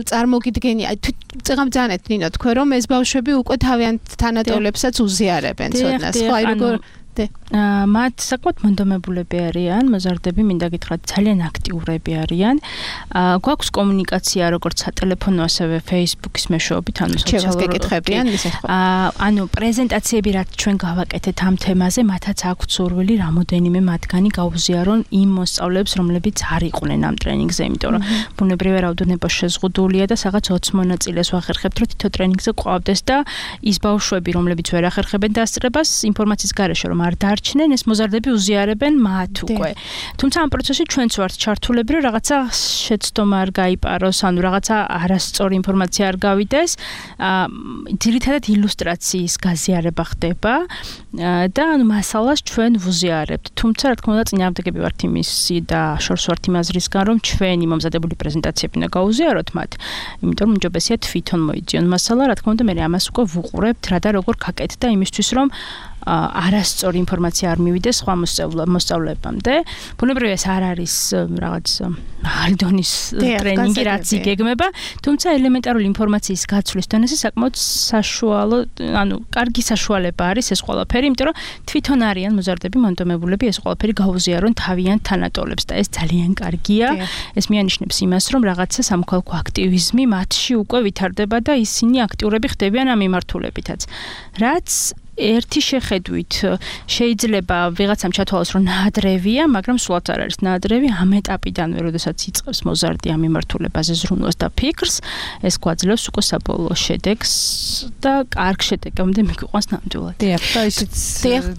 წარმოგიდგენი, აი წეგამძანეთ ნინო თქვენ რომ ეს ბავშვები უკვე თავიანთ თანატოლებსაც უზიარებენ ცოდნას. ხო, აი როგორ მათ საკმაოდ მონდომებულები არიან, მოზარდები, მინდა გითხრათ, ძალიან აქტიურები არიან. გვაქვს კომუნიკაცია როგორც სატელეფონო, ასევე Facebook-ის მეშვეობით, ანუ სოციალური კითხებიან, ისე ხო. ანუ პრეზენტაციები რაც ჩვენ გავაკეთეთ ამ თემაზე, მათაც აქვთ სურვილი რამოდენიმე მათგანი გაუზიარონ იმ მოსწავლეებს, რომლებიც არ იყვნენ ამ ტრენინგზე, იმიტომ რომ ბუნებრივია რაოდენობა შეზღუდულია და სადღაც ოცი მონაწილეს ვახერხებთ, რომ თითო ტრენინგზე ყვავდეს და ის ბავშვები, რომლებიც ვერ ახერხებენ დასწრებას, ინფორმაციის გარეშე რომ არ დარჩნენ, ეს მოზარდები უზიარებენ მათ უკვე. თუმცა ამ პროცესში ჩვენც ვართ ჩართულები, რომ რაღაცა შეცდომა არ გაიპაროს, ანუ რაღაცა არასწორი ინფორმაცია არ გავიდეს. ძირითადად ილუსტრაციის გაზიარება ხდება და ანუ მასალას ჩვენ ვუზიარებთ. თუმცა რა თქმა უნდა წინააღმდეგები ვართ იმისი და შორს ვართ იმ აზრისგან, რომ ჩვენი მომზადებული პრეზენტაციები უნდა გაუზიაროთ მათ, იმიტომ რომ უმჯობესია თვითონ მოიძიონ მასალა, რა თქმა უნდა მე ამას უკვე ვუყურებთ რა და როგორ გაკეთდა იმისთვის რომ არასწორი ინფორმაცია არ მივიდეს სხვა მოსწავლეებამდე. ბუნებრივია ეს არ არის რაღაც მაღალი დონის ტრენინგი, რაც იგეგმება, თუმცა ელემენტარული ინფორმაციის გაცვლის დონეზე საკმაოდ საშუალო, ანუ კარგი საშუალება არის ეს ყველაფერი, იმიტომ რომ თვითონ არიან მოზარდები, მონდომებულები ეს ყველაფერი გაუზიარონ თავიანთ თანატოლებს და ეს ძალიან კარგია. ეს მიანიშნებს იმას, რომ რაღაცა სამოქალაქო აქტივიზმი მათში უკვე ვითარდება და ისინი აქტიურები ხდებიან ამ მიმართულებითაც. რაც ერთი შეხედვით შეიძლება ვიღაცამ ჩათვალოს რომ ნაადრევია, მაგრამ სულაც არ არის ნაადრევი ამ ეტაპიდანვე, როდესაც იწყებს მოზარდი ამ მიმართულებაზე ზრუნვას და ფიქრს, ეს გვაძლევს უკვე საბოლოო შედეგს და კარგ შედეგამდე მიგვიყვანს ნამდვილად. დიახ, და ისიც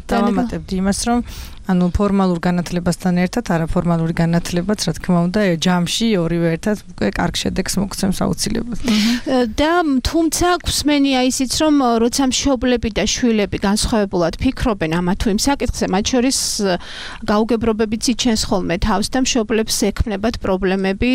დავამატებდი იმას, რომ ანუ ფორმალურ განათლებასთან ერთად არაფორმალური განათლებაც, რა თქმა უნდა, ჯამში ორივე ერთად უკვე კარგ შედეგს მოგცემს აუცილებლად. და თუმცა გვსმენია ისიც, რომ როცა მშობლები და შვილები განსხვავებულად ფიქრობენ ამა თუ იმ საკითხზე, მათ შორის გაუგებრობებიც იჩენს ხოლმე თავს და მშობლებს ექმნებათ პრობლემები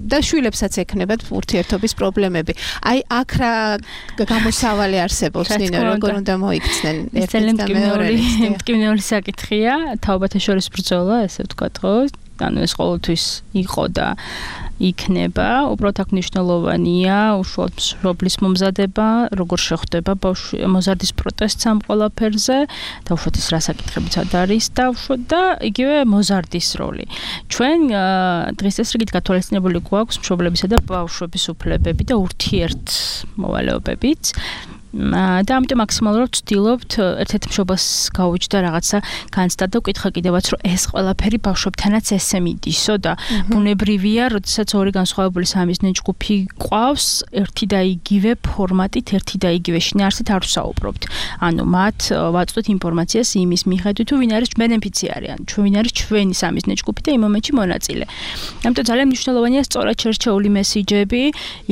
და შვილებსაც ექმნებათ ურთიერთობის პრობლემები. აი აქ რა გამოსავალი არსებობს, ნინო, როგორ უნდა მოიქცნენ ერთი და მეორე. მტკივნეული საკითხი თაობათა შორის ბრძოლა, ესე ვთქვათ, ხო? ანუ ეს ყოველთვის იყო და იქნება, უბრალოდ აქ მნიშვნელოვანია უშუალოდ მშობლის მომზადება, როგორ შეხვდება მოზარდის პროტესტს ამ ყველაფერზე, და უშუალოდ ის რა საკითხებიცად არის და უშუალოდ და იგივე მოზარდის როლი. ჩვენ დღის წესრიგით გათვალისწინებული გვაქვს მშობლებისა და ბავშვების უფლებები და ურთიერთმოვალეობებიც. და ამიტომ მაქსიმალურად ვცდილობთ ერთ-ერთ მშობელს გაუჩნდა რაღაცა განცდა და ვკითხა კიდევაც რომ ეს ყველაფერი ბავშვებთანაც ესე მიდისო და ბუნებრივია, როდესაც ორი განსხვავებული სამიზნე ჯგუფი ყავს, ერთი და იგივე ფორმატით, ერთი და იგივე შინაარსით არ ვსაუბრობთ. ანუ მათ ვაწვდით ინფორმაციას იმის მიხედვით, თუ ვინ არის ბენეფიციარი, ან თუ ვინ არის ჩვენი სამიზნე ჯგუფი და იმ მომენტში მონაწილე. ამიტომ ძალიან მნიშვნელოვანია სწორად შერჩეული მესიჯები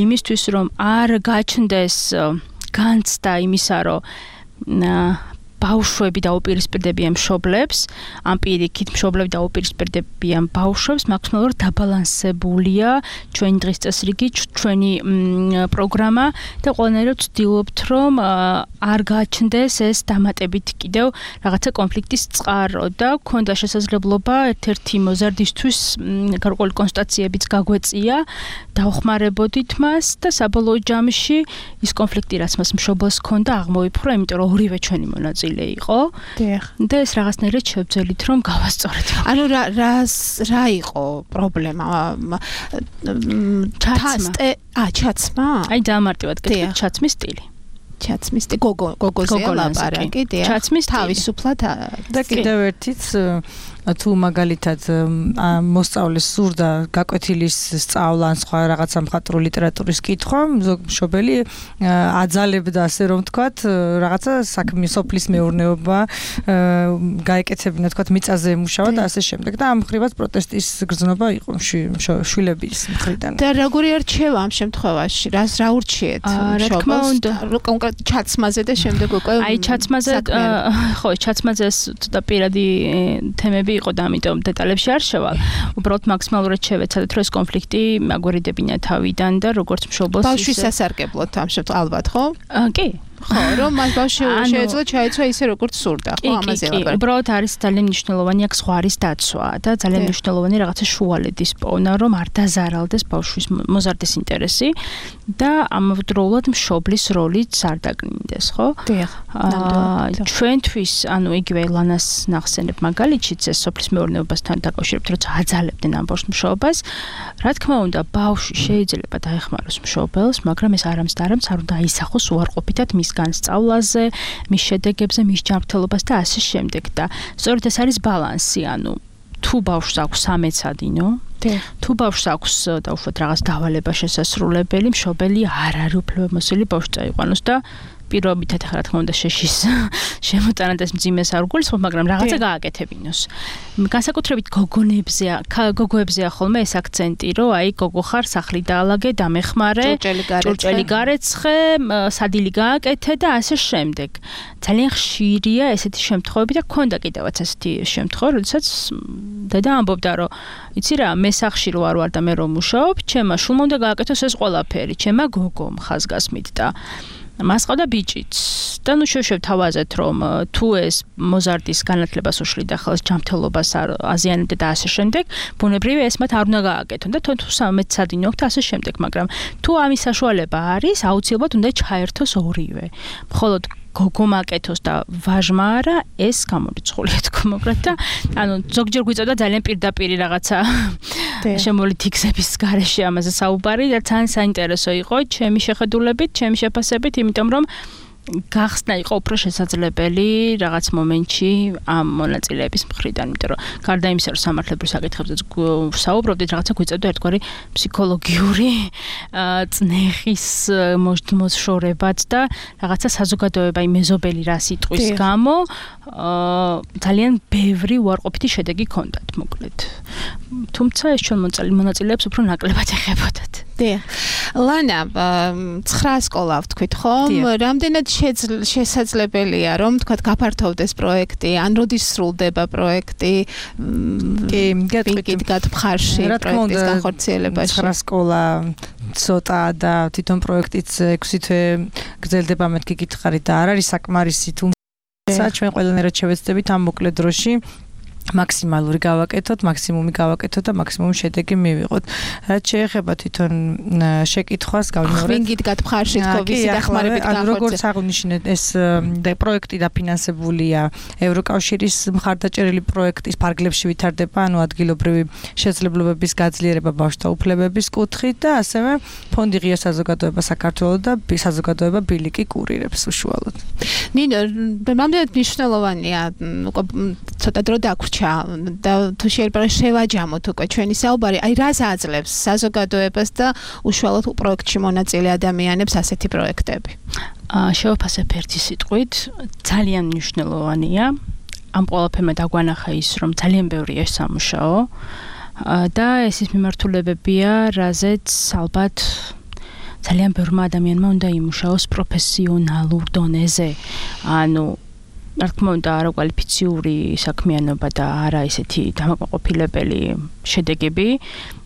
იმისთვის, რომ არ გაჩნდეს განცდა იმისა, რომ ბავშვები დაუპირისპირდებიან მშობლებს, ამ პირიქით მშობლები დაუპირისპირდებიან ბავშვებს, მაქსიმალურად დაბალანსებულია ჩვენი დღის წესრიგი, ჩვენი პროგრამა და ყველანაირად ვცდილობთ, რომ არ გაჩნდეს ეს დამატებით კიდევ რაღაცა კონფლიქტის წყარო და გქონდა შესაძლებლობა ერთ-ერთი მოზარდისთვის გარკვეული კონსტატაციებიც გაგვეწია, დავხმარებოდით მას და საბოლოო ჯამში ის კონფლიქტი, რაც მას მშობელს ჰქონდა, აღმოიფხვრა, იმიტომ რომ ორივე ჩვენი მონაწილე იყო. დიახ. და ეს რაღაცნაირად შევძელით, რომ გავასწორეთ. ანუ რა რას რა იყო პრობლემა? ჩაცმა. ა, ჩაცმა? აი დამარტივად გეტყვით, ჩაცმის სტილი. ჩაცმის სტილი, გოგო, გოგოზე ლაპარაკი, დიახ. ჩაცმის თავისუფლად და კიდევ ერთიც თუ მაგალითად მოსწავლეს სურდა გაკვეთილის სწავლა ან სხვა რაღაცა მხატვრული ლიტერატურის კითხვა, ზოგ მშობელი აძალებდა ასე რომ ვთქვათ, რაღაცა საქმე სოფლის მეურნეობა გაეკეთებინა, ვთქვათ, მიწაზე ემუშავა და ასე შემდეგ და ამ ხრივაც პროტესტის გრძნობა იყო შვილების მხრიდან. და როგორი არჩევა ამ შემთხვევაში? რას რა ურჩიეთ მშობელს? კონკრეტ ჩაცმაზე და შემდეგ უკვე აი ჩაცმაზე ხო, ჩაცმაზე ცოტა პირადი თემები იყო და ამიტომ დეტალებში არ შევალ. უბრალოდ მაქსიმალურად შევეცადეთ, რომ ეს კონფლიქტი მაგვერიდებინა თავიდან და როგორც მშობელს ბავშვის სასარგებლოდ ამ შემთხვევაში ალბათ, ხო? კი. ხო, რომ მას ბავშვი შეეძლო ჩაეცვა ისე როგორც სურდა, ხო, ამაზე ლაპარაკი. უბრალოდ არის ძალიან მნიშვნელოვანი აქ ზღვარის დაცვა და ძალიან მნიშვნელოვანი რაღაცა შუალედის პოვნა, რომ არ დაზარალდეს ბავშვის მოზარდის ინტერესი და ამავდროულად მშობლის როლიც არ დაგნინდეს, ხო? დიახ. ჩვენთვის, ანუ იგივე ლანას ნახსენებ მაგალითშიც ეს სოფლის მეურნეობასთან დაკავშირებით, როცა აძალებდნენ ამ ბავშვს მშობას, რა თქმა უნდა, ბავშვი შეიძლება დაეხმაროს მშობელს, მაგრამ ეს არამც და არამც არ უნდა აისახოს უარყოფითად მის განსწავლაზე, მის შედეგებზე, მის ჯანმრთელობას და ასე შემდეგ და სწორედ ეს არის ბალანსი, ანუ თუ ბავშვს აქვს სამეცადინო, თუ ბავშვს აქვს დაუშვათ რაღაც დავალება შესასრულებელი, მშობელი არ არის უფლებამოსილი ბავშვს წაიყვანოს და პირობითად ახლა რა თქმა უნდა შეშის შემოტანა და მძიმეს არ გულისხმობ, მაგრამ რაღაცა გააკეთებინოს. განსაკუთრებით გოგონებზე, გოგოებზეა ხოლმე ეს აქცენტი, რომ აი გოგო ხარ, სახლი დაალაგე, დამეხმარე, ჭურჭელი გარეცხე, სადილი გააკეთე და ასე შემდეგ. ძალიან ხშირია ესეთი შემთხვევები და გქონდა კიდევაც ესეთი შემთხვევა, როდესაც დედა ამბობდა, რომ იცი რა, მე სახლში რო არ ვარ და მე რომ მუშაობ, ჩემმა შულმა უნდა გააკეთოს ეს ყველაფერი, ჩემმა გოგომ ხაზგასმით და მას ყავდა ბიჭიც და ნუ შევშევ თავაზეთ რომ თუ ეს მოზარდის განათლებას უშლიდა ხელს ჯანმრთელობას აზიანებდა და ასე შემდეგ ბუნებრივია ეს მათ არ უნდა გააკეთონ და თუ სამეცადინო აქვს და ასე შემდეგ მაგრამ თუ ამის საშუალება არის აუცილებლად უნდა ჩაერთოს ორივე მხოლოდ გოგო მაკეთოს და ვაჟმა არა ეს გამორიცხულია თქო მოგრად და ანუ ზოგჯერ გვიწევდა ძალიან პირდაპირი რაღაცა შემოვლით იქსების გარეშე ამაზე საუბარი და ძალიან საინტერესო იყო ჩემი შეხედულებით, ჩემი შეფასებით, იმიტომ რომ გახსნა იყო უფრო შესაძლებელი რაღაც მომენტში ამ მონაწილეების მხრიდან, იმიტომ რომ გარდა იმისა, რომ სამართლებრივ საკითხებზე საუბრობდით, რაღაცა გვიწევდა ერთგვარი ფსიქოლოგიური წნეხის მოშორებაც და რაღაცა საზოგადოებაი მეზობელი რა სიტყვის გამო ძალიან ბევრი უარყოფითი შედეგი ჰქონდათ, მოკლედ. თუმცა ეს ჩვენ მონაწილეებს უფრო ნაკლებად ეხებოდათ. დიახ. ლანა, ცხრა სკოლა ვთქვით, ხომ? რამდენად შესაძლებელია, რომ თქვათ გაფართოვდეს პროექტი, ან როდის სრულდება პროექტი? კი, გეტყვით გათმხარში პროექტის განხორციელებაში. ცხრა სკოლა ცოტა და თვითონ პროექტიც ექვსი თვე გრძელდება, მეთქი გითხარით და არ არის საკმარისი, თუმცა ჩვენ ყველანაირად შევეცდებით ამ მოკლე დროში მაქსიმალური გავაკეთოთ, მაქსიმუმი გავაკეთოთ და მაქსიმუმ შედეგი მივიღოთ. რაც შეეხება თვითონ შეკითხვას, გავიმეორებ. ხვინგით გათმხარში თქო ვისი დახმარებით განხორციელება. როგორც აღნიშნეთ, ეს პროექტი დაფინანსებულია ევროკავშირის მხარდაჭერილი პროექტის ფარგლებში ვითარდება, ანუ ადგილობრივი შესაძლებლობების გაძლიერება ბავშვთა უფლებების კუთხით და ასევე ფონდი ღია საზოგადოება საქართველოს და საზოგადოება ბილიკი კურირებს უშუალოდ. ნინო, რამდენად მნიშვნელოვანია უკვე ცოტა დრო დაგვრჩა და თუ შეიძლება შევაჯამოთ უკვე ჩვენი საუბარი, აი რას აძლევს საზოგადოებას და უშუალოდ პროექტში მონაწილე ადამიანებს ასეთი პროექტები? აა შევაფასებ ერთი სიტყვით, ძალიან მნიშვნელოვანია. ამ ყველაფერმა დაგვანახა ის, რომ ძალიან ბევრია სამუშაო და ეს ის მიმართულებებია, რაზეც ალბათ ძალიან ბევრმა ადამიანმა უნდა იმუშაოს პროფესიონალურ დონეზე. ანუ რა თქმა უნდა, არაკვალიფიციური საქმიანობა და არა ისეთი დამაკმაყოფილებელი შედეგები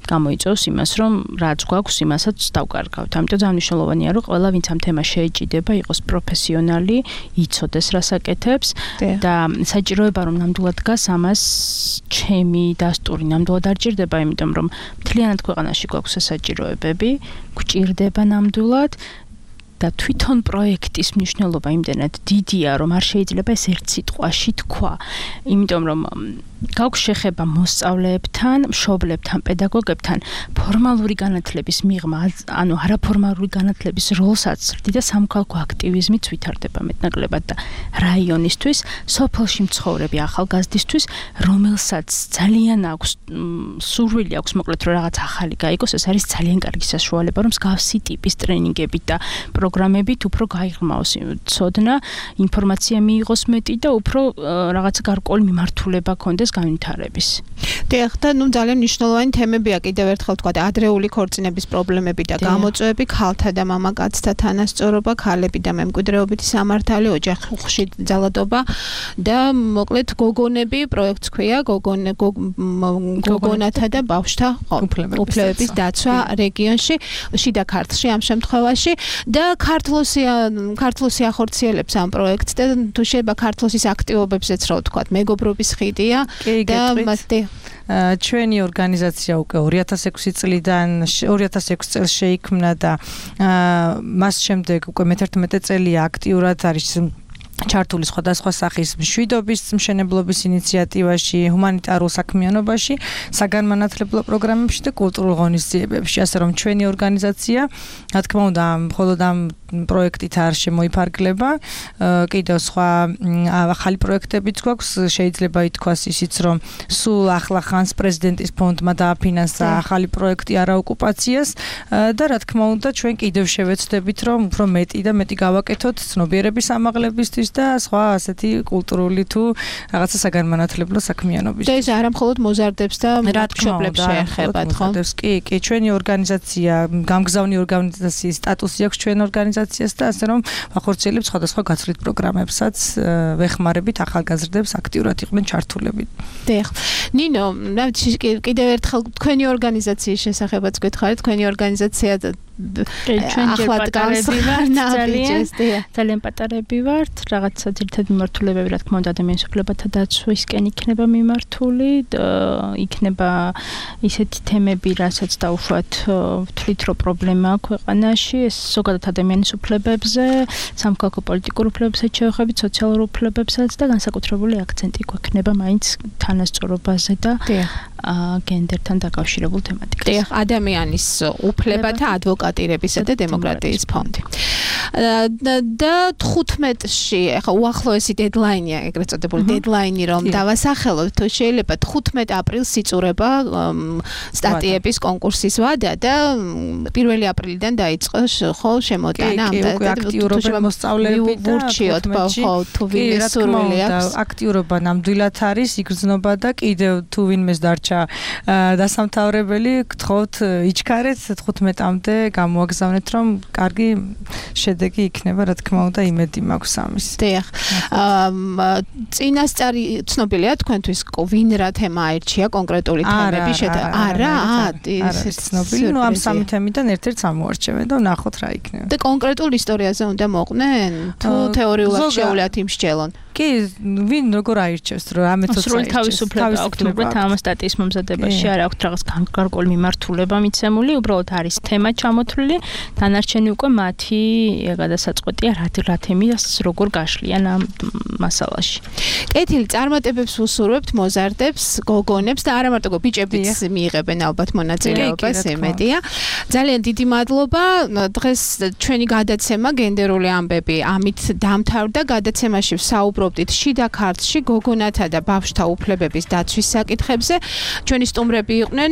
გამოიწვევს იმას, რომ რაც გვაქვს, იმასაც დავკარგავთ. ამიტომ ძალიან მნიშვნელოვანია, რომ ყველა ვინც ამ თემას შეეჭიდება, იყოს პროფესიონალი, იცოდეს რას აკეთებს და საჭიროება რომ ნამდვილად დგას ამას ჩემი დასტური ნამდვილად არ ჭირდება, იმიტომ რომ მთლიანად ქვეყანაში გვაქვს საჭიროებები, გვჭირდება ნამდვილად და თვითონ პროექტის მნიშვნელობა იმდენად დიდია, რომ არ შეიძლება ეს ერთ სიტყვაში თქვა. იმიტომ რომ გაქვს შეხება მოსწავლეებთან, მშობლებთან, პედაგოგებთან ფორმალური განათლების მიღმა, ანუ არაფორმალური განათლების როლსაც ზრდი და სამოქალაქო აქტივიზმიც ვითარდება მეტნაკლებად და რაიონისთვის, სოფელში მცხოვრები ახალგაზრდისთვის, რომელსაც ძალიან აქვს სურვილი აქვს მოკლედ რომ რაღაც ახალი გაიგოს, ეს არის ძალიან კარგი საშუალება, რომ მსგავსი ტიპის ტრენინგებით და პროგრამებით უფრო გაიღრმაოს ცოდნა, ინფორმაცია მიიღოს მეტი და უფრო რაღაცა გარკვეული მიმართულება ქონდეს განვითარების. დიახ, და ნუ ძალიან მნიშვნელოვანი თემებია კიდევ ერთხელ თქვა ადრეული ქორწინების პრობლემები და გამოწვევები, ქალთა და მამაკაცთა თანასწორობა, ქალები და მემკვიდრეობითი სამართალი, ოჯახში ძალადობა და მოკლედ გოგონები, პროექტს ქვია გოგონე გოგონათა და ბავშვთა უფლებების დაცვა რეგიონში, შიდა ქართლში ამ შემთხვევაში და ქართლოსია ქართლოსი ახორციელებს ამ პროექტს და თუ შეიძლება ქართლოსის აქტივობებზეც რა ვთქვა, მეგობრობის ხიდია და მასტე ჩვენი ორგანიზაცია უკვე ორი ათას ექვსი წლიდან ორი ათას ექვსი წელს შეიქმნა და მას შემდეგ უკვე მეთერთმეტე წელია აქტიურად არის ჩართული სხვადასხვა სახის მშვიდობის მშენებლობის ინიციატივაში, ჰუმანიტარულ საქმიანობაში, საგანმანათლებლო პროგრამებში და კულტურულ ღონისძიებებში. ასე რომ ჩვენი ორგანიზაცია, რა თქმა უნდა, მხოლოდ ამ პროექტით არ შემოიფარგლება, კიდევ სხვა ახალი პროექტებიც გვაქვს, შეიძლება ითქვას ისიც, რომ სულ ახლა ხანს პრეზიდენტის ფონდმა დააფინანსა ახალი პროექტი არაოკუპაციას და რა თქმა უნდა, ჩვენ კიდევ შევეცდებით, რომ უფრო მეტი და მეტი გავაკეთოთ ცნობიერების ამაღლებისთვის და სხვა ასეთი კულტურული თუ რაღაცა საგანმანათლებლო საქმიანობისთვის. და ეს არა მხოლოდ მოზარდებს და მშობლებს შეეხება, ხო? კი, კი, ჩვენი ორგანიზაცია, გამგზავნი ორგანიზაციის სტატუსი აქვს ჩვენ ორგანიზაციას და ასე რომ ვახორციელებთ სხვადასხვა გაცვლით პროგრამებსაც, ვეხმარებით ახალგაზრდებს აქტიურად იყვნენ ჩართულები. დიახ. ნინო, კიდევ ერთხელ თქვენი ორგანიზაციის შესახებაც გითხარით, თქვენი ორგანიზაცია ჩვენ ახლა ძალიან ძალიან პატარები ვართ, რაღაცა ძირითადი მიმართულებები, რა თქმა უნდა, ადამიანის უფლებათა დაცვისკენ იქნება მიმართული, იქნება ისეთი თემები, რასაც დაუშვათ ვთვლით, რომ პრობლემა აქვს ქვეყანაში, ეს ზოგადად ადამიანის უფლებებზე, სამოქალაქო პოლიტიკურ უფლებებსაც შევეხებით, სოციალურ უფლებებსაც და განსაკუთრებული აქცენტი გვექნება მაინც თანასწორობაზე და გენდერთან დაკავშირებულ თემატიკაზე. დიახ, ადამიანის უფლებათა ადვოკატირებისა და დემოკრატიის ფონდი. და თხუთმეტში, ახლა უახლოესი დედლაინია, ეგრეთ წოდებული დედლაინი რომ დავასახელოთ, თუ შეიძლება თხუთმეტ აპრილს იწურება სტატიების კონკურსის ვადა და პირველი აპრილიდან დაიწყო ხო შემოტანა ამ და აქტიურობა მოსწავლეები და ვურჩიოთ ხო თუ ვინმე სურვილი აქვს. აქტიურობა ნამდვილად არის, იგრძნობა და კიდევ თუ ვინმეს დარჩა დასამთავრებელი, გთხოვთ იჩქარეთ თხუთმეტამდე გამოაგზავნეთ, რომ კარგი შედეგი იქნება, რა თქმა უნდა, იმედი მაქვს ამის. დიახ. წინასწარი ცნობილია თქვენთვის ვინ რა თემა აირჩია კონკრეტული თემები შედა? არა, არა, ცნობილი, ნუ ამ სამი თემიდან ერთ-ერთს ამოარჩევენ და ვნახოთ რა იქნება. და კონკრეტულ ისტორიაზე უნდა მოყვნენ? თუ თეორიულად შეუძლიათ იმსჯელონ? კი, ვინ როგორ აირჩევს, რომ ამეც სრული თავისუფლება აქვს, უბრალოდ ამ სტატიის მომზადებაში არ აქვს რაღაც გარკვეული მიმართულება მიცემული, უბრალოდ არის თემა ჩამოთვლილი, დანარჩენი უკვე მათი გადასაწყვეტია რა რა თემის როგორ გაშლიან ამ მასალაში. კეთილი, წარმატებებს ვუსურვებთ მოზარდებს, გოგონებს და არა მარტო ბიჭებიც მიიღებენ ალბათ მონაწილეობას, ემედია. ძალიან დიდი მადლობა. დღეს ჩვენი გადაცემა გენდერული ამბები ამით დამთავრდა. გადაცემაში ვსაუბრობდით შიდა ქართლში გოგონათა და ბავშვთა უფლებების დაცვის საკითხებზე. ჩვენი სტუმრები იყვნენ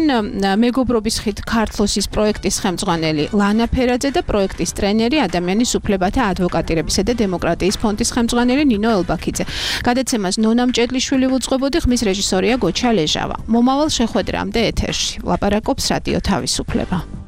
მეგობრობის ხით ქართლოსის პროექტის ხელმძღვანელი ლანა ფერაძე და პროექტის ტრენერი ადამიანის უფლებათა ადვოკატირებისა და დემოკრატიის ფონდის ხელმძღვანელი ნინო ელბაქიძე. გადაცემას ნონა მჭედლიშვილი უძღვებოდი, ხმის რეჟისორია გოჩა ლეჟავა. მომავალ შეხვედრამდე ეთერში ლაპარაკობს რადიო თავისუფლება.